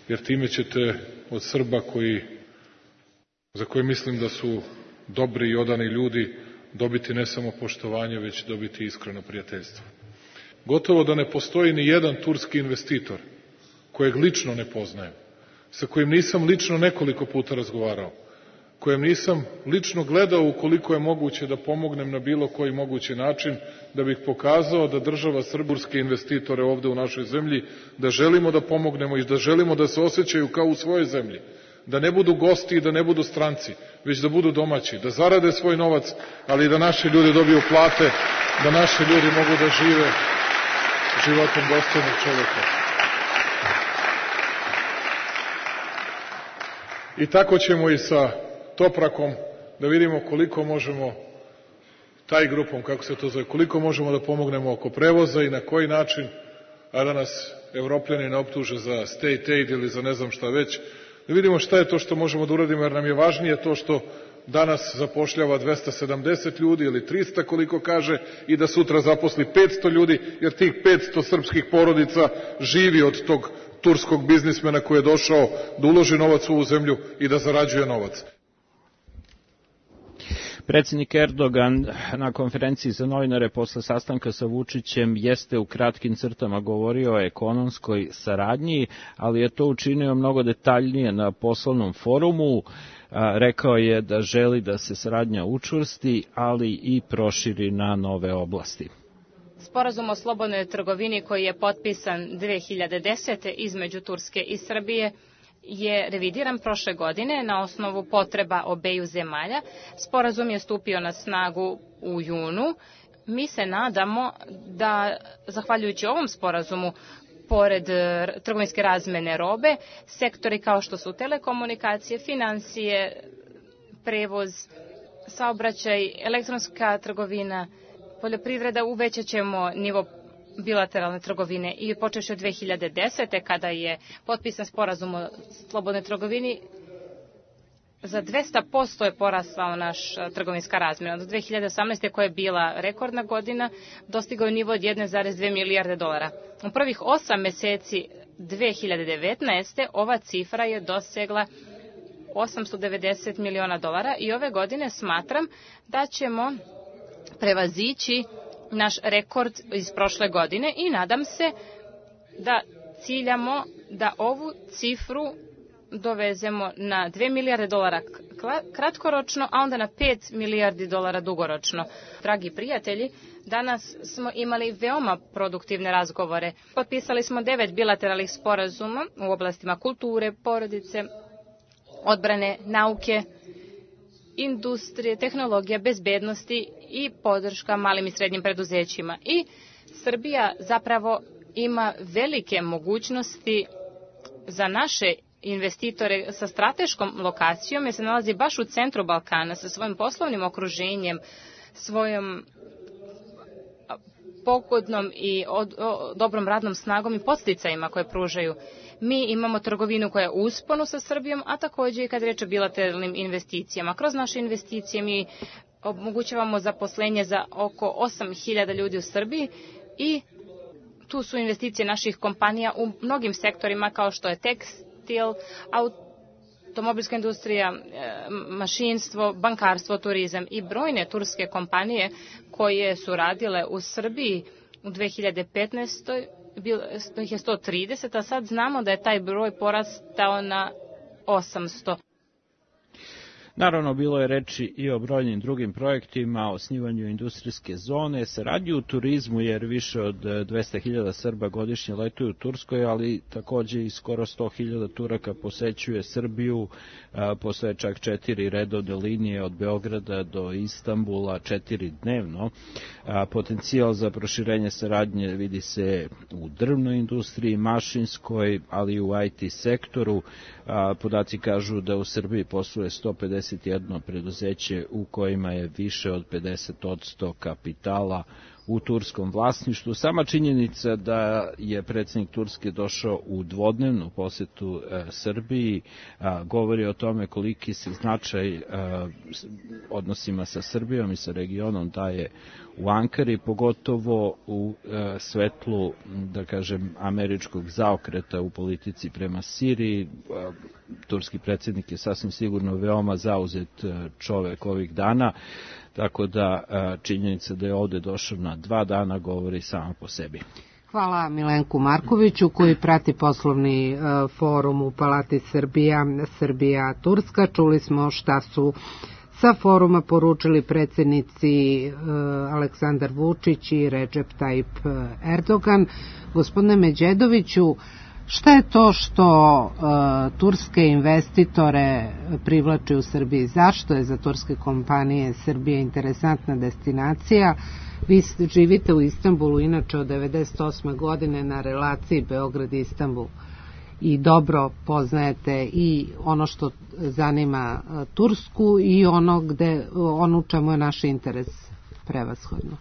jer time ćete od Srba koji, za koje mislim da su dobri i odani ljudi, dobiti ne samo poštovanje, već dobiti iskreno prijateljstvo. Gotovo da ne postoji ni jedan turski investitor kojeg lično ne poznajem, sa kojim nisam lično nekoliko puta razgovarao, kojem nisam lično gledao ukoliko je moguće da pomognem na bilo koji mogući način, da bih pokazao da država srburske investitore ovde u našoj zemlji, da želimo da pomognemo i da želimo da se osjećaju kao u svojoj zemlji, da ne budu gosti i da ne budu stranci, već da budu domaći, da zarade svoj novac, ali i da naši ljudi dobiju plate, da naši ljudi mogu da žive životom dostojnog čoveka. I tako ćemo i sa Toprakom da vidimo koliko možemo, taj grupom, kako se to zove, koliko možemo da pomognemo oko prevoza i na koji način, a da nas Evropljani ne optuže za state aid ili za ne znam šta već, da vidimo šta je to što možemo da uradimo, jer nam je važnije to što danas zapošljava dvesta sedamdeset ljudi ili trista koliko kaže i da sutra zaposli petsto ljudi, jer tih petsto srpskih porodica živi od tog turskog biznismena koji je došao da uloži novac u ovu zemlju i da zarađuje novac. Predsjednik Erdogan na konferenciji za novinare posle sastanka sa Vučićem jeste u kratkim crtama govorio o ekonomskoj saradnji, ali je to učinio mnogo detaljnije na poslovnom forumu. Rekao je da želi da se saradnja učvrsti, ali i proširi na nove oblasti. Sporazum o slobodnoj trgovini koji je potpisan dve hiljade desete. između Turske i Srbije je revidiran prošle godine na osnovu potreba obeju zemalja. Sporazum je stupio na snagu u junu. Mi se nadamo da, zahvaljujući ovom sporazumu, pored trgovinske razmene robe, sektori kao što su telekomunikacije, financije, prevoz, saobraćaj, elektronska trgovina, poljoprivreda, uvećat ćemo nivo bilateralne trgovine i počeši od dve hiljade desete. kada je potpisan sporazum o slobodnoj trgovini, za dvesta posto je porasla naš trgovinska razmjena. Od dve hiljade osamnaeste. koja je bila rekordna godina, dostigao je nivo od jedne zarez dve milijarde dolara. U prvih osam meseci dve hiljade devetnaeste. ova cifra je dosegla osamsto devedeset miliona dolara i ove godine smatram da ćemo prevazići naš rekord iz prošle godine i nadam se da ciljamo da ovu cifru dovezemo na dve milijarde dolara kratkoročno, a onda na pet milijardi dolara dugoročno. Dragi prijatelji, danas smo imali veoma produktivne razgovore. Potpisali smo devet bilateralnih sporazuma u oblastima kulture, porodice, odbrane, nauke, industrije, tehnologija, bezbednosti i podrška malim i srednjim preduzećima. I Srbija zapravo ima velike mogućnosti za naše investitore sa strateškom lokacijom, jer se nalazi baš u centru Balkana sa svojim poslovnim okruženjem, svojom pogodnom i od, o, dobrom radnom snagom i podsticajima koje pružaju. Mi imamo trgovinu koja je u usponu sa Srbijom, a također i kad reč o bilateralnim investicijama. Kroz naše investicije mi omogućavamo zaposlenje za oko osam hiljada ljudi u Srbiji i tu su investicije naših kompanija u mnogim sektorima kao što je tekstil, automobilska industrija, mašinstvo, bankarstvo, turizam i brojne turske kompanije koje su radile u Srbiji u dve hiljade petnaestoj. bilo ih je sto trideset, a sad znamo da je taj broj porastao na osamsto. Naravno, bilo je reči i o brojnim drugim projektima, o osnivanju industrijske zone, saradnji u turizmu, jer više od dvesta hiljada Srba godišnje letuju u Turskoj, ali takođe i skoro sto hiljada Turaka posećuje Srbiju, postoje čak četiri redovne linije od Beograda do Istanbula, četiri dnevno. Potencijal za proširenje saradnje vidi se u drvnoj industriji, mašinskoj, ali i u I T sektoru. Podaci kažu da u Srbiji posluje sto pedeset jedno preduzeće u kojima je više od pedeset posto kapitala u turskom vlasništvu. Sama činjenica da je predsjednik Turske došao u dvodnevnu posjetu e, Srbiji a, govori o tome koliki se značaj e, odnosima sa Srbijom i sa regionom daje u Ankari, pogotovo u e, svetlu, da kažem, američkog zaokreta u politici prema Siriji. E, turski predsjednik je sasvim sigurno veoma zauzet e, čovek ovih dana, tako da e, činjenica da je ovde došao na dva dana govori sama po sebi. Hvala Milenku Markoviću koji prati poslovni e, forum u Palati Srbija, Srbija-Turska. Čuli smo šta su sa foruma poručili predsjednici e, Aleksandar Vučić i Recep Tayyip Erdogan. Gospodine Međedoviću, šta je to što e, turske investitore privlači u Srbiji? Zašto je za turske kompanije Srbija interesantna destinacija? Vi živite u Istanbulu, inače od devedeset osme godine na relaciji Beograd-Istanbul i dobro poznajete i ono što zanima Tursku i ono, gde, ono u čemu je naš interes prevashodno.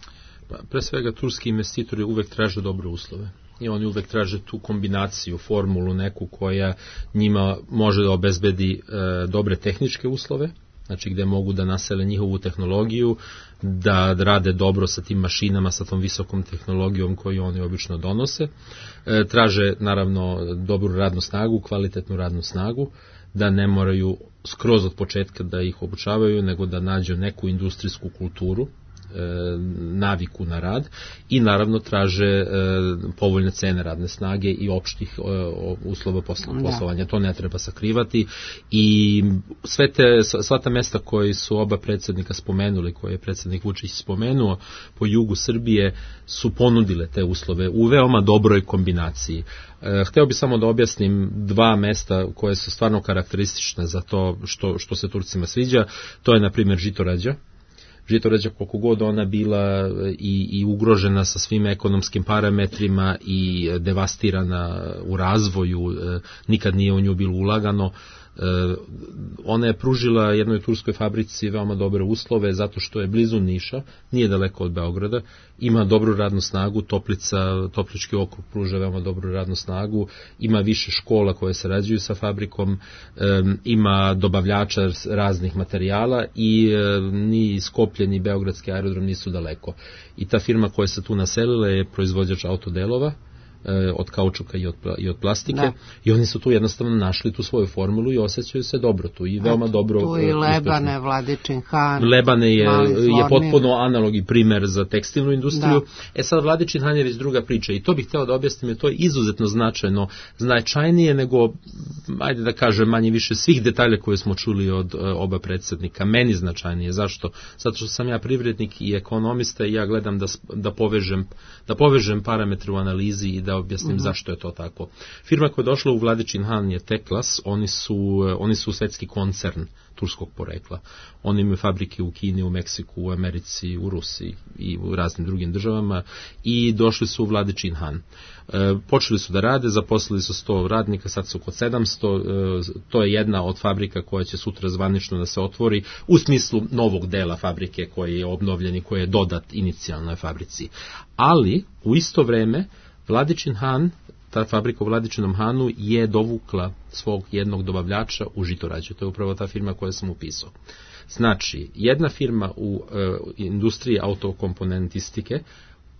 Pa, pre svega, turski investitori uvek traže dobre uslove i oni uvek traže tu kombinaciju, formulu neku koja njima može da obezbedi e, dobre tehničke uslove, znači gde mogu da nasele njihovu tehnologiju, da rade dobro sa tim mašinama, sa tom visokom tehnologijom koju oni obično donose. E, traže naravno dobru radnu snagu, kvalitetnu radnu snagu, da ne moraju skroz od početka da ih obučavaju, nego da nađu neku industrijsku kulturu, naviku na rad i naravno traže e, povoljne cene radne snage i opštih e, uslova poslovanja. To ne treba sakrivati i sve te, sva ta mesta koje su oba predsjednika spomenuli, koje je predsjednik Vučić spomenuo po jugu Srbije, su ponudile te uslove u veoma dobroj kombinaciji. E, hteo bih samo da objasnim dva mesta koje su stvarno karakteristične za to što, što se Turcima sviđa. To je na primjer Žitorađa. Žitorađa, koliko god ona bila i, i ugrožena sa svim ekonomskim parametrima i devastirana u razvoju, nikad nije u nju bilo ulagano, ona je pružila jednoj turskoj fabrici veoma dobre uslove zato što je blizu Niša, nije daleko od Beograda, ima dobru radnu snagu, Toplica, Toplički okrug pruža veoma dobru radnu snagu, ima više škola koje sarađuju sa fabrikom, ima dobavljača raznih materijala i ni Skoplje ni Beogradski aerodrom nisu daleko. I ta firma koja se tu naselila je proizvođač autodelova, od kaučuka i od, i od plastike, da. I oni su tu jednostavno našli tu svoju formulu i osjećaju se dobro tu i veoma Eto, dobro tu i Lebane, uspešno. Vladičin Han, Lebane je, je potpuno analog i primer za tekstilnu industriju. Da. E sad Vladičin Han je već druga priča i to bih hteo da objasnim, je to je izuzetno značajno, značajnije nego, ajde da kažem, manje više svih detalja koje smo čuli od uh, oba predsjednika. Meni značajnije. Zašto? Zato što sam ja privrednik i ekonomista i ja gledam da, da, povežem, da povežem parametre u analizi i da objasnim uh-huh. zašto je to tako. Firma koja je došla u Vladičin Han je Teklas, oni su, oni su svetski koncern turskog porekla. Oni imaju fabrike u Kini, u Meksiku, u Americi, u Rusiji i u raznim drugim državama i došli su u Vladičin Han. E, počeli su da rade, zaposlili su sto radnika, sad su oko sedamsto, e, to je jedna od fabrika koja će sutra zvanično da se otvori u smislu novog dela fabrike koji je obnovljen i koji je dodat inicijalnoj fabrici. Ali, u isto vreme, Vladičin Han, ta fabrika u Vladičinom Hanu je dovukla svog jednog dobavljača u Žitorađu. To je upravo ta firma koju sam upisao. Znači, jedna firma u e, industriji autokomponentistike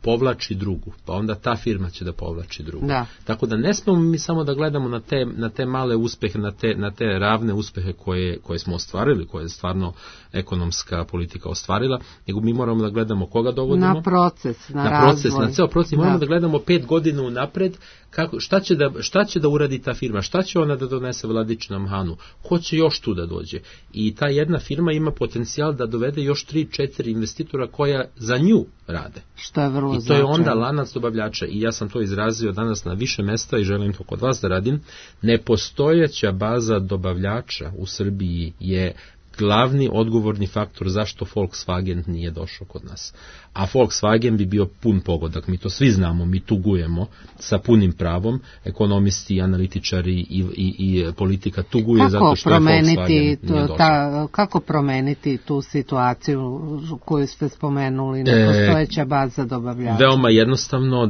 povlači drugu, pa onda ta firma će da povlači drugu. Da. Tako da ne smemo mi samo da gledamo na te, na te male uspehe, na te, na te ravne uspehe koje, koje smo ostvarili, koje je stvarno ekonomska politika ostvarila, nego mi moramo da gledamo koga dovodimo. Na proces, na, na proces, razvoj. Na ceo proces. Moramo da, da gledamo pet godina unapred kako, šta, će da, šta će da uradi ta firma, šta će ona da donese Vladičinom Hanu, ko će još tu da dođe. I ta jedna firma ima potencijal da dovede još tri četiri investitora koja za nju rade. Što je vrlo I to je onda lanac dobavljača i ja sam to izrazio danas na više mesta i želim to kod vas da radim. Nepostojeća baza dobavljača u Srbiji je glavni odgovorni faktor zašto Volkswagen nije došao kod nas. A Volkswagen bi bio pun pogodak, mi to svi znamo, mi tugujemo sa punim pravom, ekonomisti, analitičari i, i, i politika tuguje kako zato što je Volkswagen nije došao. Ta, kako promeniti tu situaciju koju ste spomenuli, nepostojeća baza dobavljača? Veoma jednostavno e,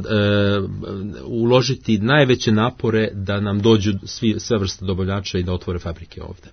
uložiti najveće napore da nam dođu svi, sve vrste dobavljača i da otvore fabrike ovde.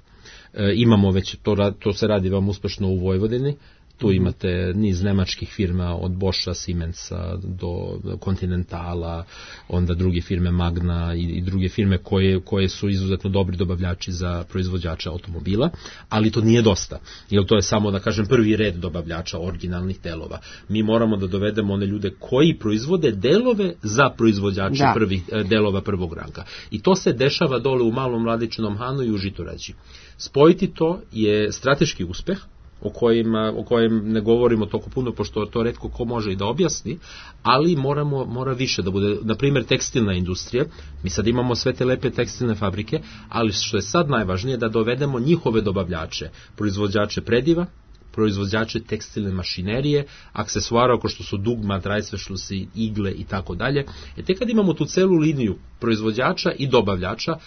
E, imamo već, to, to se radi veoma uspešno u Vojvodini, tu imate niz nemačkih firma od Boscha, Siemensa do Continentala, onda druge firme Magna i, i druge firme koje, koje su izuzetno dobri dobavljači za proizvođača automobila, ali to nije dosta, jer to je samo, da kažem, prvi red dobavljača originalnih delova. Mi moramo da dovedemo one ljude koji proizvode delove za proizvođače da. prvih delova prvog ranga. I to se dešava dole u Malom Vladičinom Hanu i u Žitorađi. Spojiti to je strateški uspeh, o kojima, o kojem ne govorimo toliko puno, pošto to retko ko može i da objasni, ali moramo, mora više da bude, na primjer, tekstilna industrija. Mi sad imamo sve te lepe tekstilne fabrike, ali što je sad najvažnije, da dovedemo njihove dobavljače, proizvođače prediva, proizvođače tekstilne mašinerije, aksesuara ako što su dugma, drajsvešlusi, igle i tako dalje. E te kad imamo tu celu liniju proizvođača i dobavljača,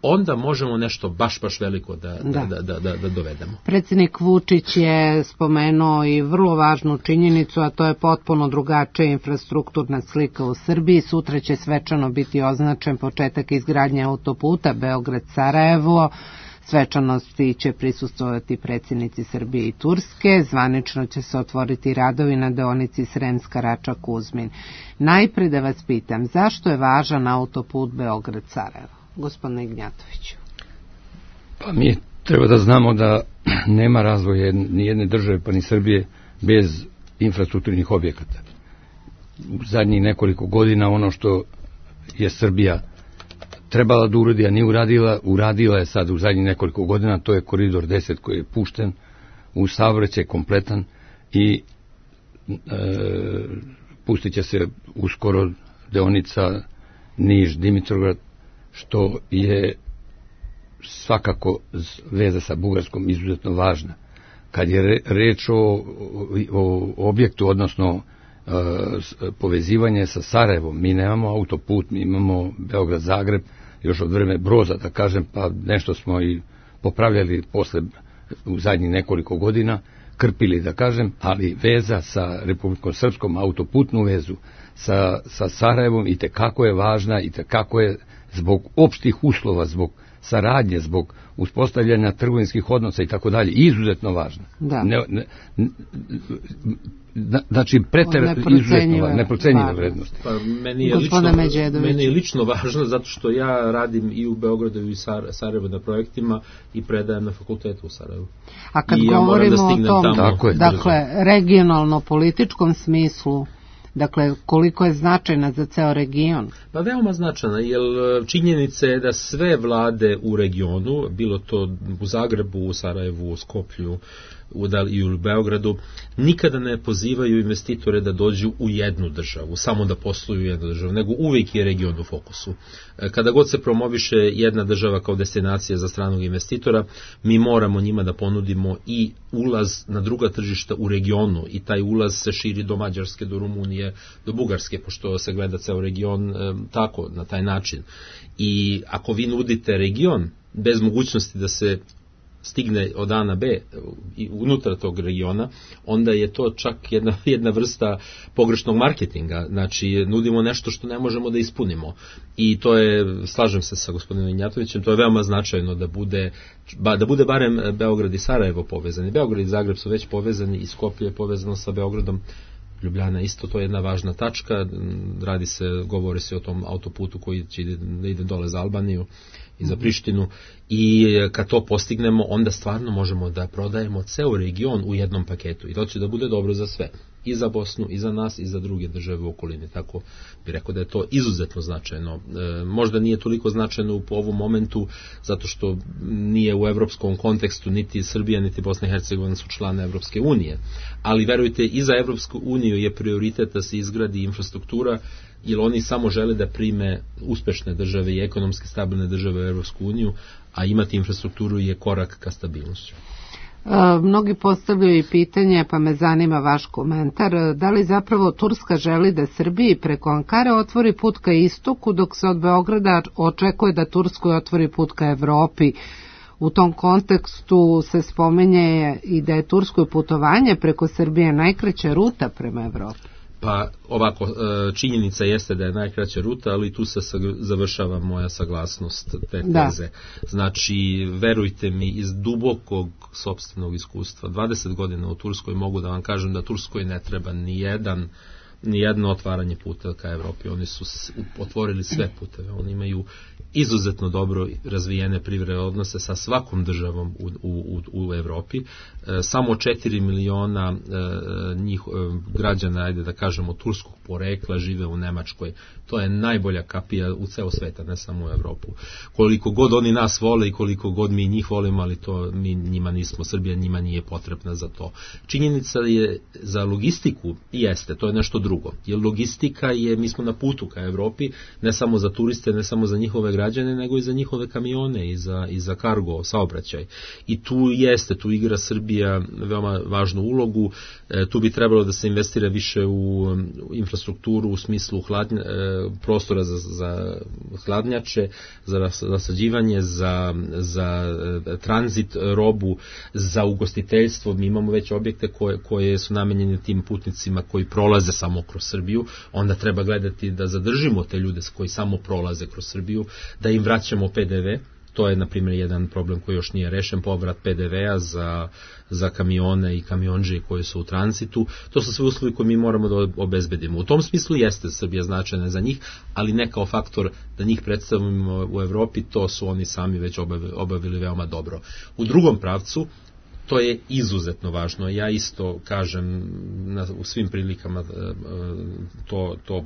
onda možemo nešto baš, baš veliko da, da. Da, da, da, da dovedemo. Predsjednik Vučić je spomenuo i vrlo važnu činjenicu, a to je potpuno drugačija infrastrukturna slika u Srbiji. Sutra će svečano biti označen početak izgradnje autoputa Beograd-Sarajevo. Svečanosti će prisustvovati predsjednici Srbije i Turske. Zvanično će se otvoriti radovi na deonici Sremska Rača-Kuzmin. Najpre da vas pitam, zašto je važan autoput Beograd-Sarajevo? Gospodine Ignjatoviću. Pa mi treba da znamo da nema razvoja ni jedne države, pa ni Srbije, bez infrastrukturnih objekata. U zadnjih nekoliko godina ono što je Srbija trebala da uradi, a nije uradila, uradila je sad u zadnjih nekoliko godina, to je koridor deset koji je pušten u saobraćaj kompletan i e, pustit će se uskoro deonica Niš-Dimitrovgrad, što je svakako veza sa Bugarskom izuzetno važna. Kad je reč o, o objektu, odnosno e, povezivanje sa Sarajevom, mi nemamo autoput, mi imamo Beograd-Zagreb, još od vreme Broza, da kažem, pa nešto smo i popravljali posle u zadnjih nekoliko godina, krpili, da kažem, ali veza sa Republikom Srpskom, autoputnu vezu sa, sa Sarajevom i tekako je važna i tekako je zbog opštih uslova, zbog saradnje, zbog uspostavljanja trgovinskih odnosa i tako dalje, izuzetno važna. Da. Ne, ne, ne, znači, preter, izuzetno neprocenjiva vrednost. Pa, meni, je lično, meni je lično važno zato što ja radim i u Beogradu i Sarajevu na projektima i predajem na fakultetu u Sarajevu. A kad I govorimo ja o tom, tamo, dakle, regionalno-političkom smislu, dakle, koliko je značajna za ceo region? Pa veoma značajna, jer činjenica je da sve vlade u regionu, bilo to u Zagrebu, u Sarajevu, u Skoplju i u Beogradu, nikada ne pozivaju investitore da dođu u jednu državu, samo da posluju u jednu državu, nego uvijek je region u fokusu. Kada god se promoviše jedna država kao destinacija za stranog investitora, mi moramo njima da ponudimo i ulaz na druga tržišta u regionu i taj ulaz se širi do Mađarske, do Rumunije, do Bugarske, pošto se gleda ceo region e, tako, na taj način. I ako vi nudite region bez mogućnosti da se stigne od A na B i unutra tog regiona, onda je to čak jedna, jedna vrsta pogrešnog marketinga. Znači, nudimo nešto što ne možemo da ispunimo. I to je, slažem se sa gospodinom Ignjatovićem, to je veoma značajno da bude, ba, da bude barem Beograd i Sarajevo povezani. Beograd i Zagreb su već povezani i Skoplje je povezano sa Beogradom. Ljubljana isto, to je jedna važna tačka. Radi se, govori se o tom autoputu koji će da ide dole za Albaniju i za Prištinu i kad to postignemo, onda stvarno možemo da prodajemo ceo region u jednom paketu i to će da bude dobro za sve, i za Bosnu, i za nas, i za druge države u okolini. Tako bih rekao da je to izuzetno značajno. E, možda nije toliko značajno u ovom momentu, zato što nije u evropskom kontekstu, niti Srbija, niti Bosna i Hercegovina su člane Evropske unije, ali verujte, i za Evropsku uniju je prioritet da se izgradi infrastruktura, jer oni samo žele da prime uspešne države i ekonomski stabilne države u Evropsku uniju, a imati infrastrukturu je korak ka stabilnošću. Mnogi postavljaju i pitanje, pa me zanima vaš komentar, da li zapravo Turska želi da Srbiji preko Ankare otvori put ka istoku, dok se od Beograda očekuje da Turskoj otvori put ka Evropi. U tom kontekstu se spominje i da je Turskoj putovanje preko Srbije najkraća ruta prema Evropi. Pa ovako, činjenica jeste da je najkraća ruta, ali tu se završava moja saglasnost te teze. Da. Znači, verujte mi, iz dubokog sopstvenog iskustva, dvadeset godina u Turskoj, mogu da vam kažem da Turskoj ne treba ni jedan ni jedno otvaranje puta ka Evropi. Oni su otvorili sve puteve. Oni imaju izuzetno dobro razvijene privredne odnose sa svakom državom u, u, u Evropi. E, samo četiri miliona e, njih, e, građana, ajde da kažemo, turskog porekla žive u Nemačkoj. To je najbolja kapija u ceo sveta, ne samo u Evropu. Koliko god oni nas vole i koliko god mi njih volimo, ali to mi njima nismo, Srbija njima nije potrebna za to. Činjenica je za logistiku jeste, to je nešto drugo. Jer logistika je, mi smo na putu ka Evropi, ne samo za turiste, ne samo za njihove građane, nego i za njihove kamione i za, i za kargo, saobraćaj. I tu jeste, tu igra Srbija veoma važnu ulogu, e, tu bi trebalo da se investira više u, u infrastrukturu u smislu hladnja, e, prostora za, za hladnjače, za rasađivanje, za, za e, tranzit robu, za ugostiteljstvo. Mi imamo već objekte koje, koje su namenjene tim putnicima koji prolaze samo kroz Srbiju, onda treba gledati da zadržimo te ljude koji samo prolaze kroz Srbiju, da im vraćamo P D V. To je, na primjer, jedan problem koji još nije rešen, povrat P D V-a za, za kamione i kamionđe koji su u tranzitu. To su sve uslovi koje mi moramo da obezbedimo. U tom smislu jeste Srbija značajna za njih, ali ne kao faktor da njih predstavimo u Evropi, to su oni sami već obavili, obavili veoma dobro. U drugom pravcu, to je izuzetno važno. Ja isto kažem na, u svim prilikama to, to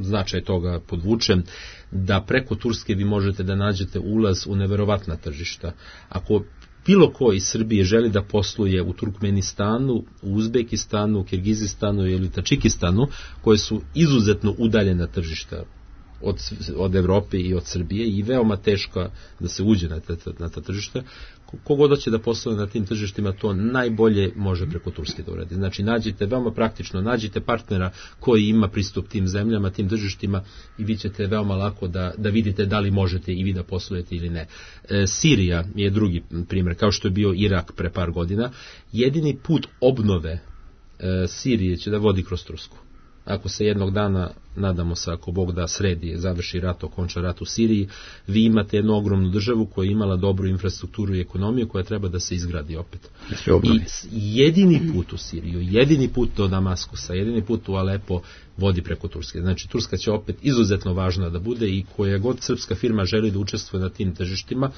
značaj toga podvučem, da preko Turske vi možete da nađete ulaz u neverovatna tržišta. Ako bilo ko iz Srbije želi da posluje u Turkmenistanu, u Uzbekistanu, u Kirgizistanu ili Tačikistanu, koje su izuzetno udaljena tržišta od, od Evrope i od Srbije i veoma teško da se uđe na ta, na ta tržišta, kogod hoće da posluje na tim tržištima, to najbolje može preko Turske da uradi. Znači, nađite, veoma praktično, nađite partnera koji ima pristup tim zemljama, tim tržištima i vi ćete veoma lako da, da vidite da li možete i vi da poslujete ili ne. E, Sirija je drugi primjer, kao što je bio Irak pre par godina. Jedini put obnove e, Sirije će da vodi kroz Tursku. Ako se jednog dana, nadamo se, ako Bog da sredi, završi rat, okonča rat u Siriji, vi imate jednu ogromnu državu koja je imala dobru infrastrukturu i ekonomiju koja treba da se izgradi opet. I jedini put u Siriju, jedini put do Damaskusa, jedini put u Alepo vodi preko Turske. Znači, Turska će opet izuzetno važna da bude i koja god srpska firma želi da učestvuje na tim tržištima,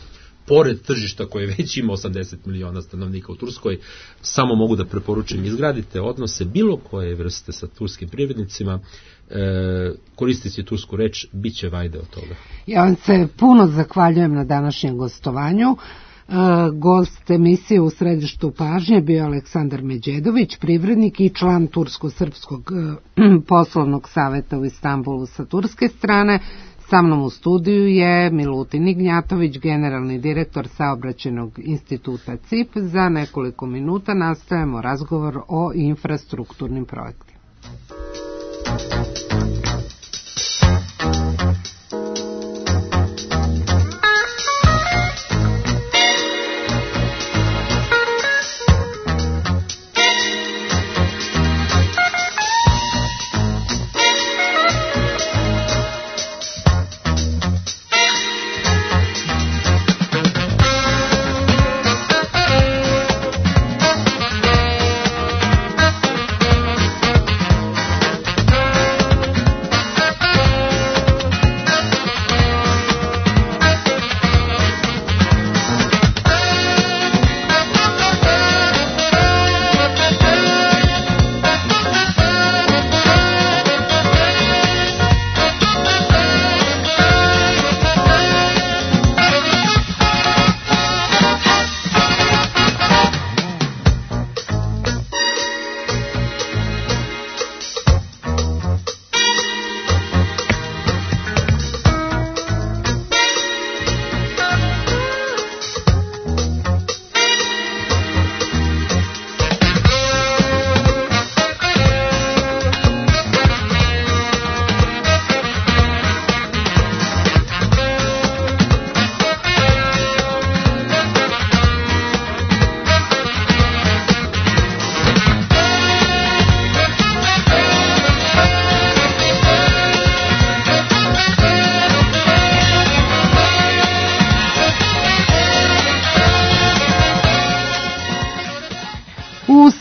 pored tržišta koje već ima osamdeset miliona stanovnika u Turskoj, samo mogu da preporučim, izgradite odnose bilo koje vrste sa turskim privrednicima, e, koristeći tursku reč, bit će vajde od toga. Ja vam se puno zahvaljujem na današnjem gostovanju. E, gost emisije U središtu pažnje bio Aleksandar Međedović, privrednik i član Tursko-srpskog e, poslovnog saveta u Istanbulu sa turske strane. Sa mnom u studiju je Milutin Ignjatović, generalni direktor Saobraćajnog instituta C I P. Za nekoliko minuta nastavljamo razgovor o infrastrukturnim projektima.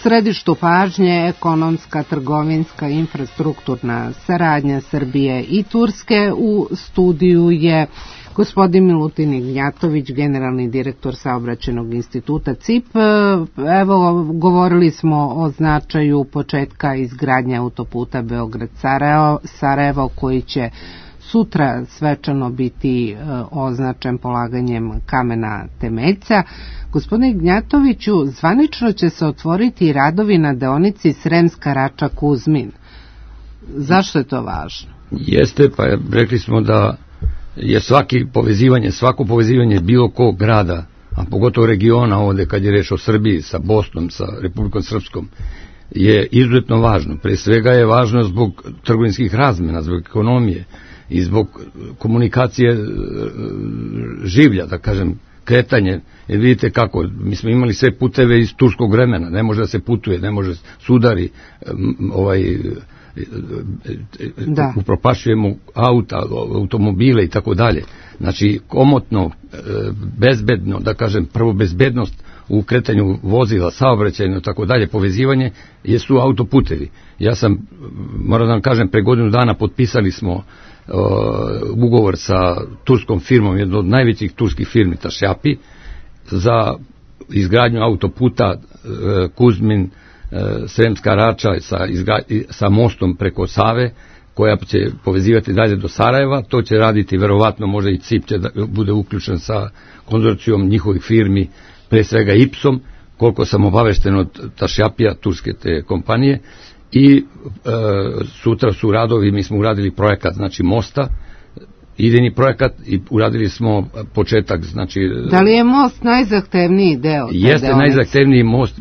središtu pažnje ekonomska, trgovinska, infrastrukturna saradnja Srbije i Turske. U studiju je gospodin Milutin Ignjatović, generalni direktor Saobraćajnog instituta C I P. Evo, govorili smo o značaju početka izgradnje autoputa Beograd-Sarajevo, koji će sutra svečano biti označen polaganjem kamena temeljca. Gospodine Ignjatoviću, zvanično će se otvoriti radovi na deonici Sremska Rača-Kuzmin. Zašto je to važno? Jeste, pa rekli smo da je svaki povezivanje, svako povezivanje bilo kog grada, a pogotovo regiona ovde kad je reč o Srbiji sa Bosnom, sa Republikom Srpskom, je izuzetno važno. Pre svega je važno zbog trgovinskih razmena, zbog ekonomije i zbog komunikacije življa, da kažem, kretanje. Jer vidite kako, mi smo imali sve puteve iz turskog vremena, ne može da se putuje, ne može sudari, ovaj, da. upropašujemo auta, automobile i tako dalje. Znači, komotno, bezbedno, da kažem, prvo bezbednost u kretanju vozila, saobraćajno, tako dalje, povezivanje, jesu autoputevi. Ja sam, moram da vam kažem, pre godinu dana potpisali smo uh, ugovor sa turskom firmom, jednom od najvećih turskih firmi, Tašjapi, za izgradnju autoputa uh, Kuzmin, uh, Sremska Rača sa, izgra, sa mostom preko Save, koja će povezivati dalje do Sarajeva. To će raditi, verovatno, možda i C I P će da bude uključen sa konzorcijom njihovih firmi, pre svega I P S-om, koliko sam obavešten od Tašjapija, turske te kompanije, i e, sutra su radovi, mi smo uradili projekat, znači mosta, idejni projekat, i uradili smo početak, znači... Da li je most najzahtevniji deo? Jeste najzahtevniji most,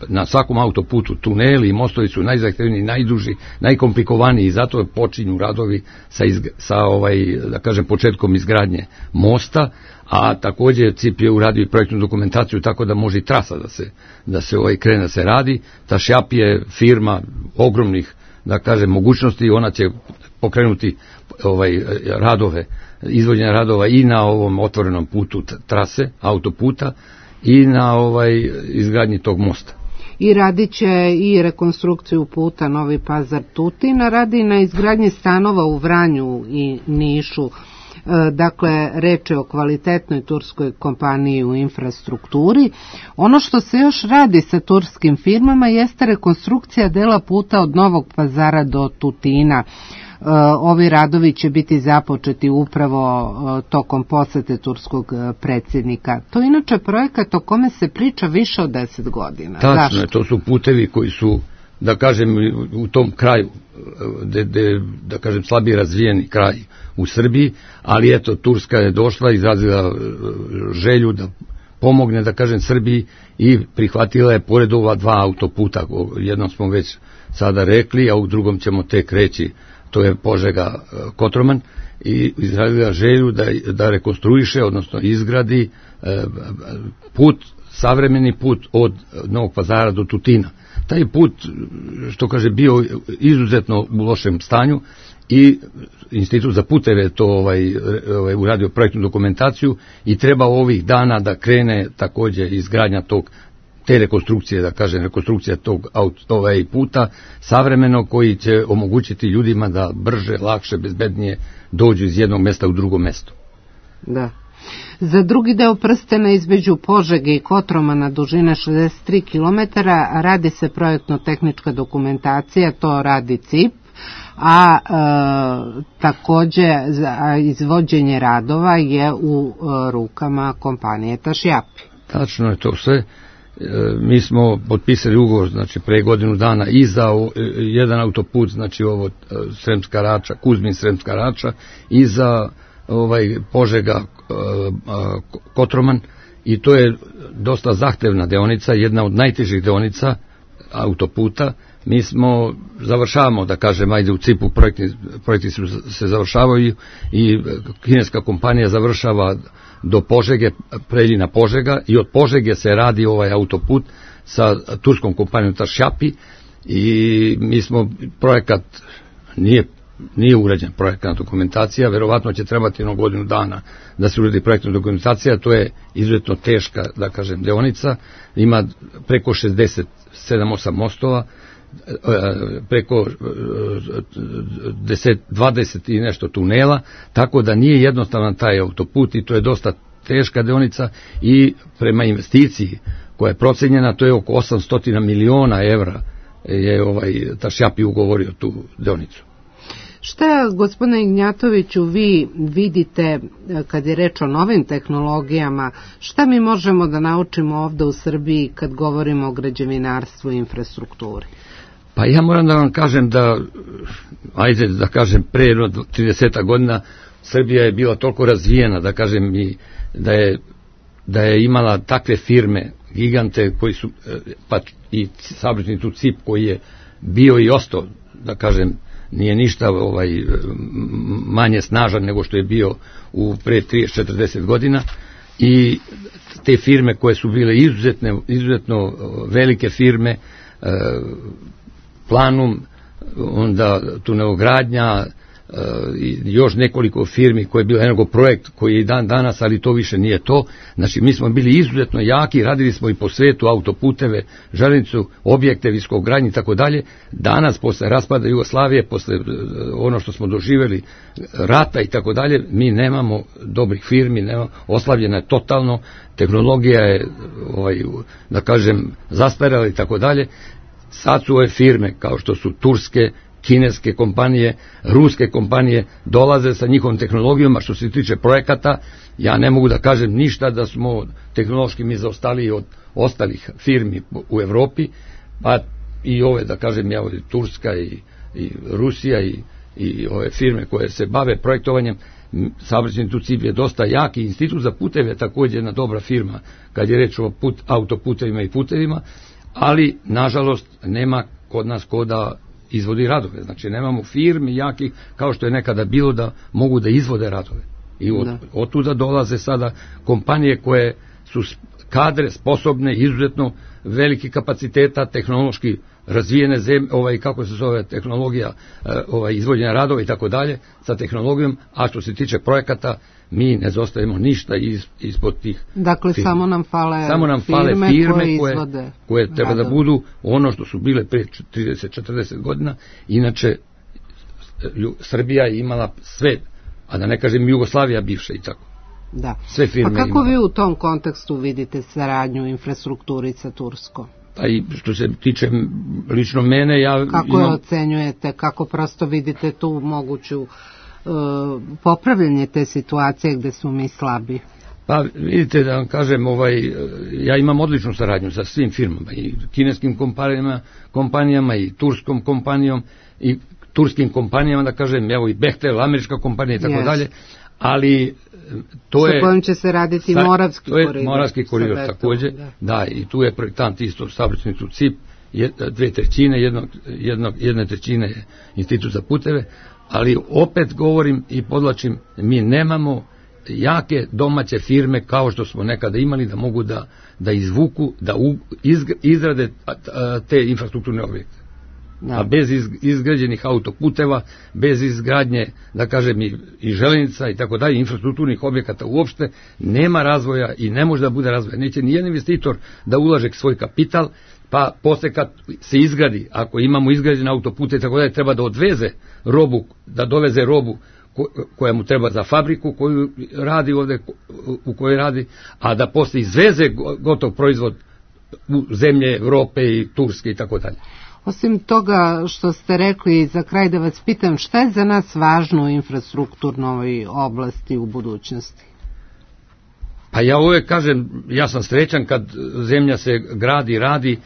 na svakom autoputu tuneli i mostovi su najzahtevniji, najduži, najkomplikovaniji, i zato počinju radovi sa, izg, sa ovaj, da kažem, početkom izgradnje mosta, a takođe C I P je uradio i projektnu dokumentaciju tako da može i trasa da se, da se ovaj krene da se radi. Tašjap je firma ogromnih, da kažem, mogućnosti, ona će pokrenuti ovaj radove, izvođenje radova i na ovom otvorenom putu trase, autoputa, i na ovaj izgradnji tog mosta. I radit će i rekonstrukciju puta Novi Pazar-Tutin, radi na izgradnji stanova u Vranju i Nišu. Dakle, reč je o kvalitetnoj turskoj kompaniji u infrastrukturi. Ono što se još radi sa turskim firmama jeste rekonstrukcija dela puta od Novog Pazara do Tutina. Ovi radovi će biti započeti upravo tokom posete turskog predsjednika. To je inače projekat o kome se priča više od deset godina. Tačno je, to su putevi koji su, da kažem, u tom kraju, de, de, da kažem, slabije razvijeni kraj u Srbiji, ali eto, Turska je došla, izrazila želju da pomogne, da kažem, Srbiji, i prihvatila je pored ova dva autoputa, jednom smo već sada rekli, a u drugom ćemo tek reći, to je Požega Kotroman, i izrazila želju da, da rekonstruiše, odnosno izgradi e, put, savremeni put od Novog Pazara do Tutina. Taj put, što kaže, bio izuzetno u lošem stanju, i Institut za puteve to ovaj, ovaj, uradio projektnu dokumentaciju, i treba ovih dana da krene takođe izgradnja tog, te rekonstrukcije, da kažem, rekonstrukcija tog ovaj, puta savremeno, koji će omogućiti ljudima da brže, lakše, bezbednije dođu iz jednog mesta u drugo mesto. Da. Za drugi deo prstena između Požege i Kotromana dužine šezdeset tri kilometara radi se projektno-tehnička dokumentacija, to radi C I P, a e, takođe za izvođenje radova je u e, rukama kompanije Tašjapi. Tačno je to sve. E, mi smo potpisali ugovor, znači, pre godinu dana i za o, e, jedan autoput, znači ovo e, Sremska Rača, Kuzmin Sremska Rača, i za ovaj Požega e, e, Kotroman, i to je dosta zahtevna deonica, jedna od najtežih deonica autoputa. Mi smo, završavamo, da kažem, ajde u C I P-u projekti, projekti se završavaju, i kineska kompanija završava do Požege, Preljina Požega, i od Požege se radi ovaj autoput sa turskom kompanijom Tašjapi, i mi smo, projekat nije nije urađen projektna dokumentacija, verovatno će trebati jednu godinu dana da se uredi projektna dokumentacija, to je izuzetno teška, da kažem, deonica, ima preko šezdeset sedam osam mostova, preko deset, dvadeset i nešto tunela, tako da nije jednostavan taj autoput i to je dosta teška deonica i prema investiciji koja je procenjena, to je oko osamsto miliona evra je ovaj Tašjapi ugovorio tu deonicu. Šta, gospodine Ignjatoviću, vi vidite kad je reč o novim tehnologijama, šta mi možemo da naučimo ovde u Srbiji kad govorimo o građevinarstvu i infrastrukturi? Pa ja moram da vam kažem da, ajde da kažem, pre trideset godina Srbija je bila toliko razvijena, da kažem, i da je, da je imala takve firme, gigante koji su, pa i saobraćajni tu C I P koji je bio i ostao, da kažem, nije ništa ovaj, manje snažan nego što je bio u pre trideset četrdeset godina i te firme koje su bile izuzetne, izuzetno velike firme, Planum, onda tunelogradnja i još nekoliko firmi koje je bilo Energoprojekt koji je i dan danas, ali to više nije to. Znači mi smo bili izuzetno jaki, radili smo i po svetu autoputeve, železnicu, objekte, viskogradnje i tako dalje. Danas posle raspada Jugoslavije, posle ono što smo doživjeli, rata i tako dalje, mi nemamo dobrih firmi, nemamo, oslavljena je totalno, tehnologija je ovaj, da kažem zastarela i tako dalje. Sad su ove firme kao što su turske, kineske kompanije, ruske kompanije dolaze sa njihovom tehnologijom, a što se tiče projekata, ja ne mogu da kažem ništa da smo tehnološki mi zaostali od ostalih firmi u Evropi, pa i ove, da kažem, ja ovdje Turska i, i Rusija i, i ove firme koje se bave projektovanjem, saobraćajni tu C I P je dosta jaki, Institut za puteve je također jedna dobra firma kad je reč o put, autoputevima i putevima, ali nažalost nema kod nas ko da izvodi radove, znači nemamo firmi jakih kao što je nekada bilo da mogu da izvode radove i od, od tuda dolaze sada kompanije koje su kadre, sposobne, izuzetno veliki kapaciteta, tehnološki razvijene zemlje, ovaj, kako se zove tehnologija, ovaj, izvođenja radova i tako dalje sa tehnologijom, a što se tiče projekata mi ne zostajemo ništa iz, ispod tih dakle firme. samo nam fale, samo nam firme, fale firme koje, koje, izvode koje treba radove. Da budu ono što su bile pre trideset četrdeset godina. Inače Srbija je imala sve, a da ne kažem Jugoslavija bivša i tako. Da. Sve firme pa kako imala. Vi u tom kontekstu vidite saradnju infrastrukturi sa Turskom? Pa i što se tiče lično mene, ja kako imam... je ocenjujete, kako prosto vidite tu moguću uh, popravljanje te situacije gde smo mi slabi? Pa vidite da vam kažem, ovaj, ja imam odličnu saradnju sa svim firmama, i kineskim kompanijama, kompanijama i turskom kompanijom i turskim kompanijama, da kažem, evo i Bechtel, američka kompanija i tako yes. dalje, ali to je... Sa kojim će se raditi sa, Moravski koridor. To je Moravski koridor također, da. da, i tu je projektant isto saobraćajnicu C I P, jed, dve trećine, jednog, jednog, jedne trećine je Institut za puteve, ali opet govorim i podlačim, mi nemamo jake domaće firme kao što smo nekada imali da mogu da, da izvuku, da u, izg, izrade te infrastrukturne objekte. Da. A bez iz, izgrađenih autoputeva, bez izgradnje, da kažem, i, i železnica i tako dalje, infrastrukturnih objekata uopšte, nema razvoja i ne može da bude razvoja. Neće nijedan investitor da ulaže svoj kapital, pa posle kad se izgradi, ako imamo izgrađene autopute i tako dalje, treba da odveze robu, da doveze robu koja mu treba za fabriku koju radi ovde, u kojoj radi, a da posle izveze gotov proizvod u zemlje Evrope i Turske i tako dalje. Osim toga što ste rekli, za kraj da vas pitam, šta je za nas važno u infrastrukturnoj oblasti u budućnosti? Pa ja uvek kažem, ja sam srećan kad zemlja se gradi, radi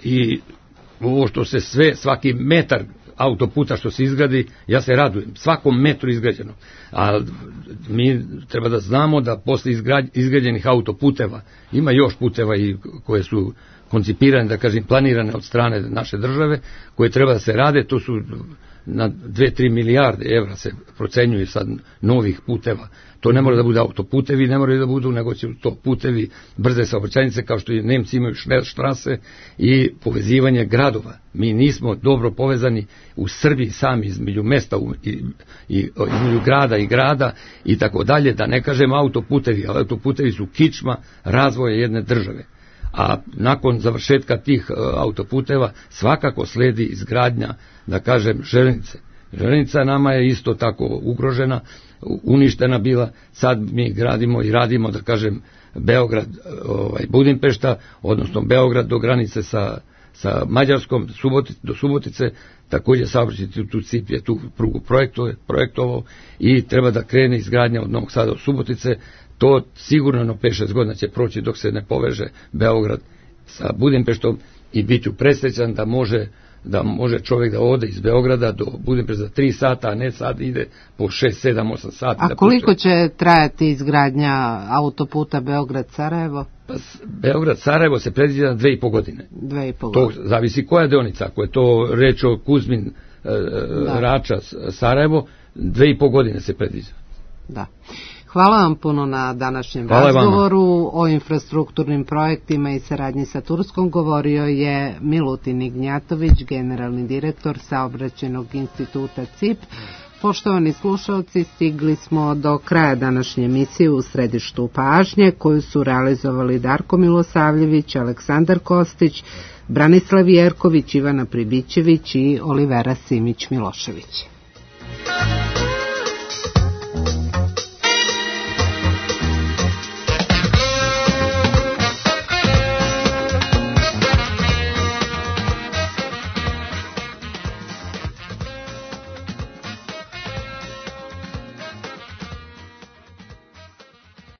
i ovo što se sve, svaki metar autoputa što se izgradi, ja se radujem, svakom metru izgrađeno. A mi treba da znamo da posle izgrađenih autoputeva ima još puteva i koje su koncipirane, da kažem, planirane od strane naše države, koje treba da se rade, to su na dve tri milijarde evra se procenjuje sad novih puteva. To ne mora da bude autoputevi, ne moraju da budu, nego će to putevi, brze saobraćajnice, kao što i Nemci imaju štrase i povezivanje gradova. Mi nismo dobro povezani u Srbiji sami između mesta i, i između grada i grada i tako dalje, da ne kažem autoputevi, ali autoputevi su kičma razvoja jedne države. A nakon završetka tih autoputeva svakako sledi izgradnja, da kažem, železnice. Železnica nama je isto tako ugrožena, uništena bila, sad mi gradimo i radimo, da kažem, Beograd, ovaj, Budimpešta, odnosno Beograd do granice sa, sa Mađarskom, Suboti, do Subotice, također saobraćajni tu cip je tu prugu projektovao i treba da krene izgradnja od Novog Sada do Subotice. To sigurno na pet šest godina će proći dok se ne poveže Beograd sa Budimpeštom i bit ću presrećan da može da može čovjek da ode iz Beograda do Budimpešta za tri sata, a ne sad ide po šest, sedam, osam sati. A koliko će trajati izgradnja autoputa Beograd-Sarajevo? Pa Beograd-Sarajevo se predviđa na dve i po godine. Dve i po godine. To zavisi koja deonica, ako je to reč o Kuzmin, e, Rača, Sarajevo, dve i po godine se predviđa. Da. Hvala vam puno na današnjem Hvala razgovoru. Vama. O infrastrukturnim projektima i saradnji sa Turskom govorio je Milutin Ignjatović, generalni direktor Saobraćajnog instituta C I P. Poštovani slušalci, stigli smo do kraja današnje emisije U središtu pažnje, koju su realizovali Darko Milosavljević, Aleksandar Kostić, Branislav Jerković, Ivana Pribićević i Olivera Simić-Milošević.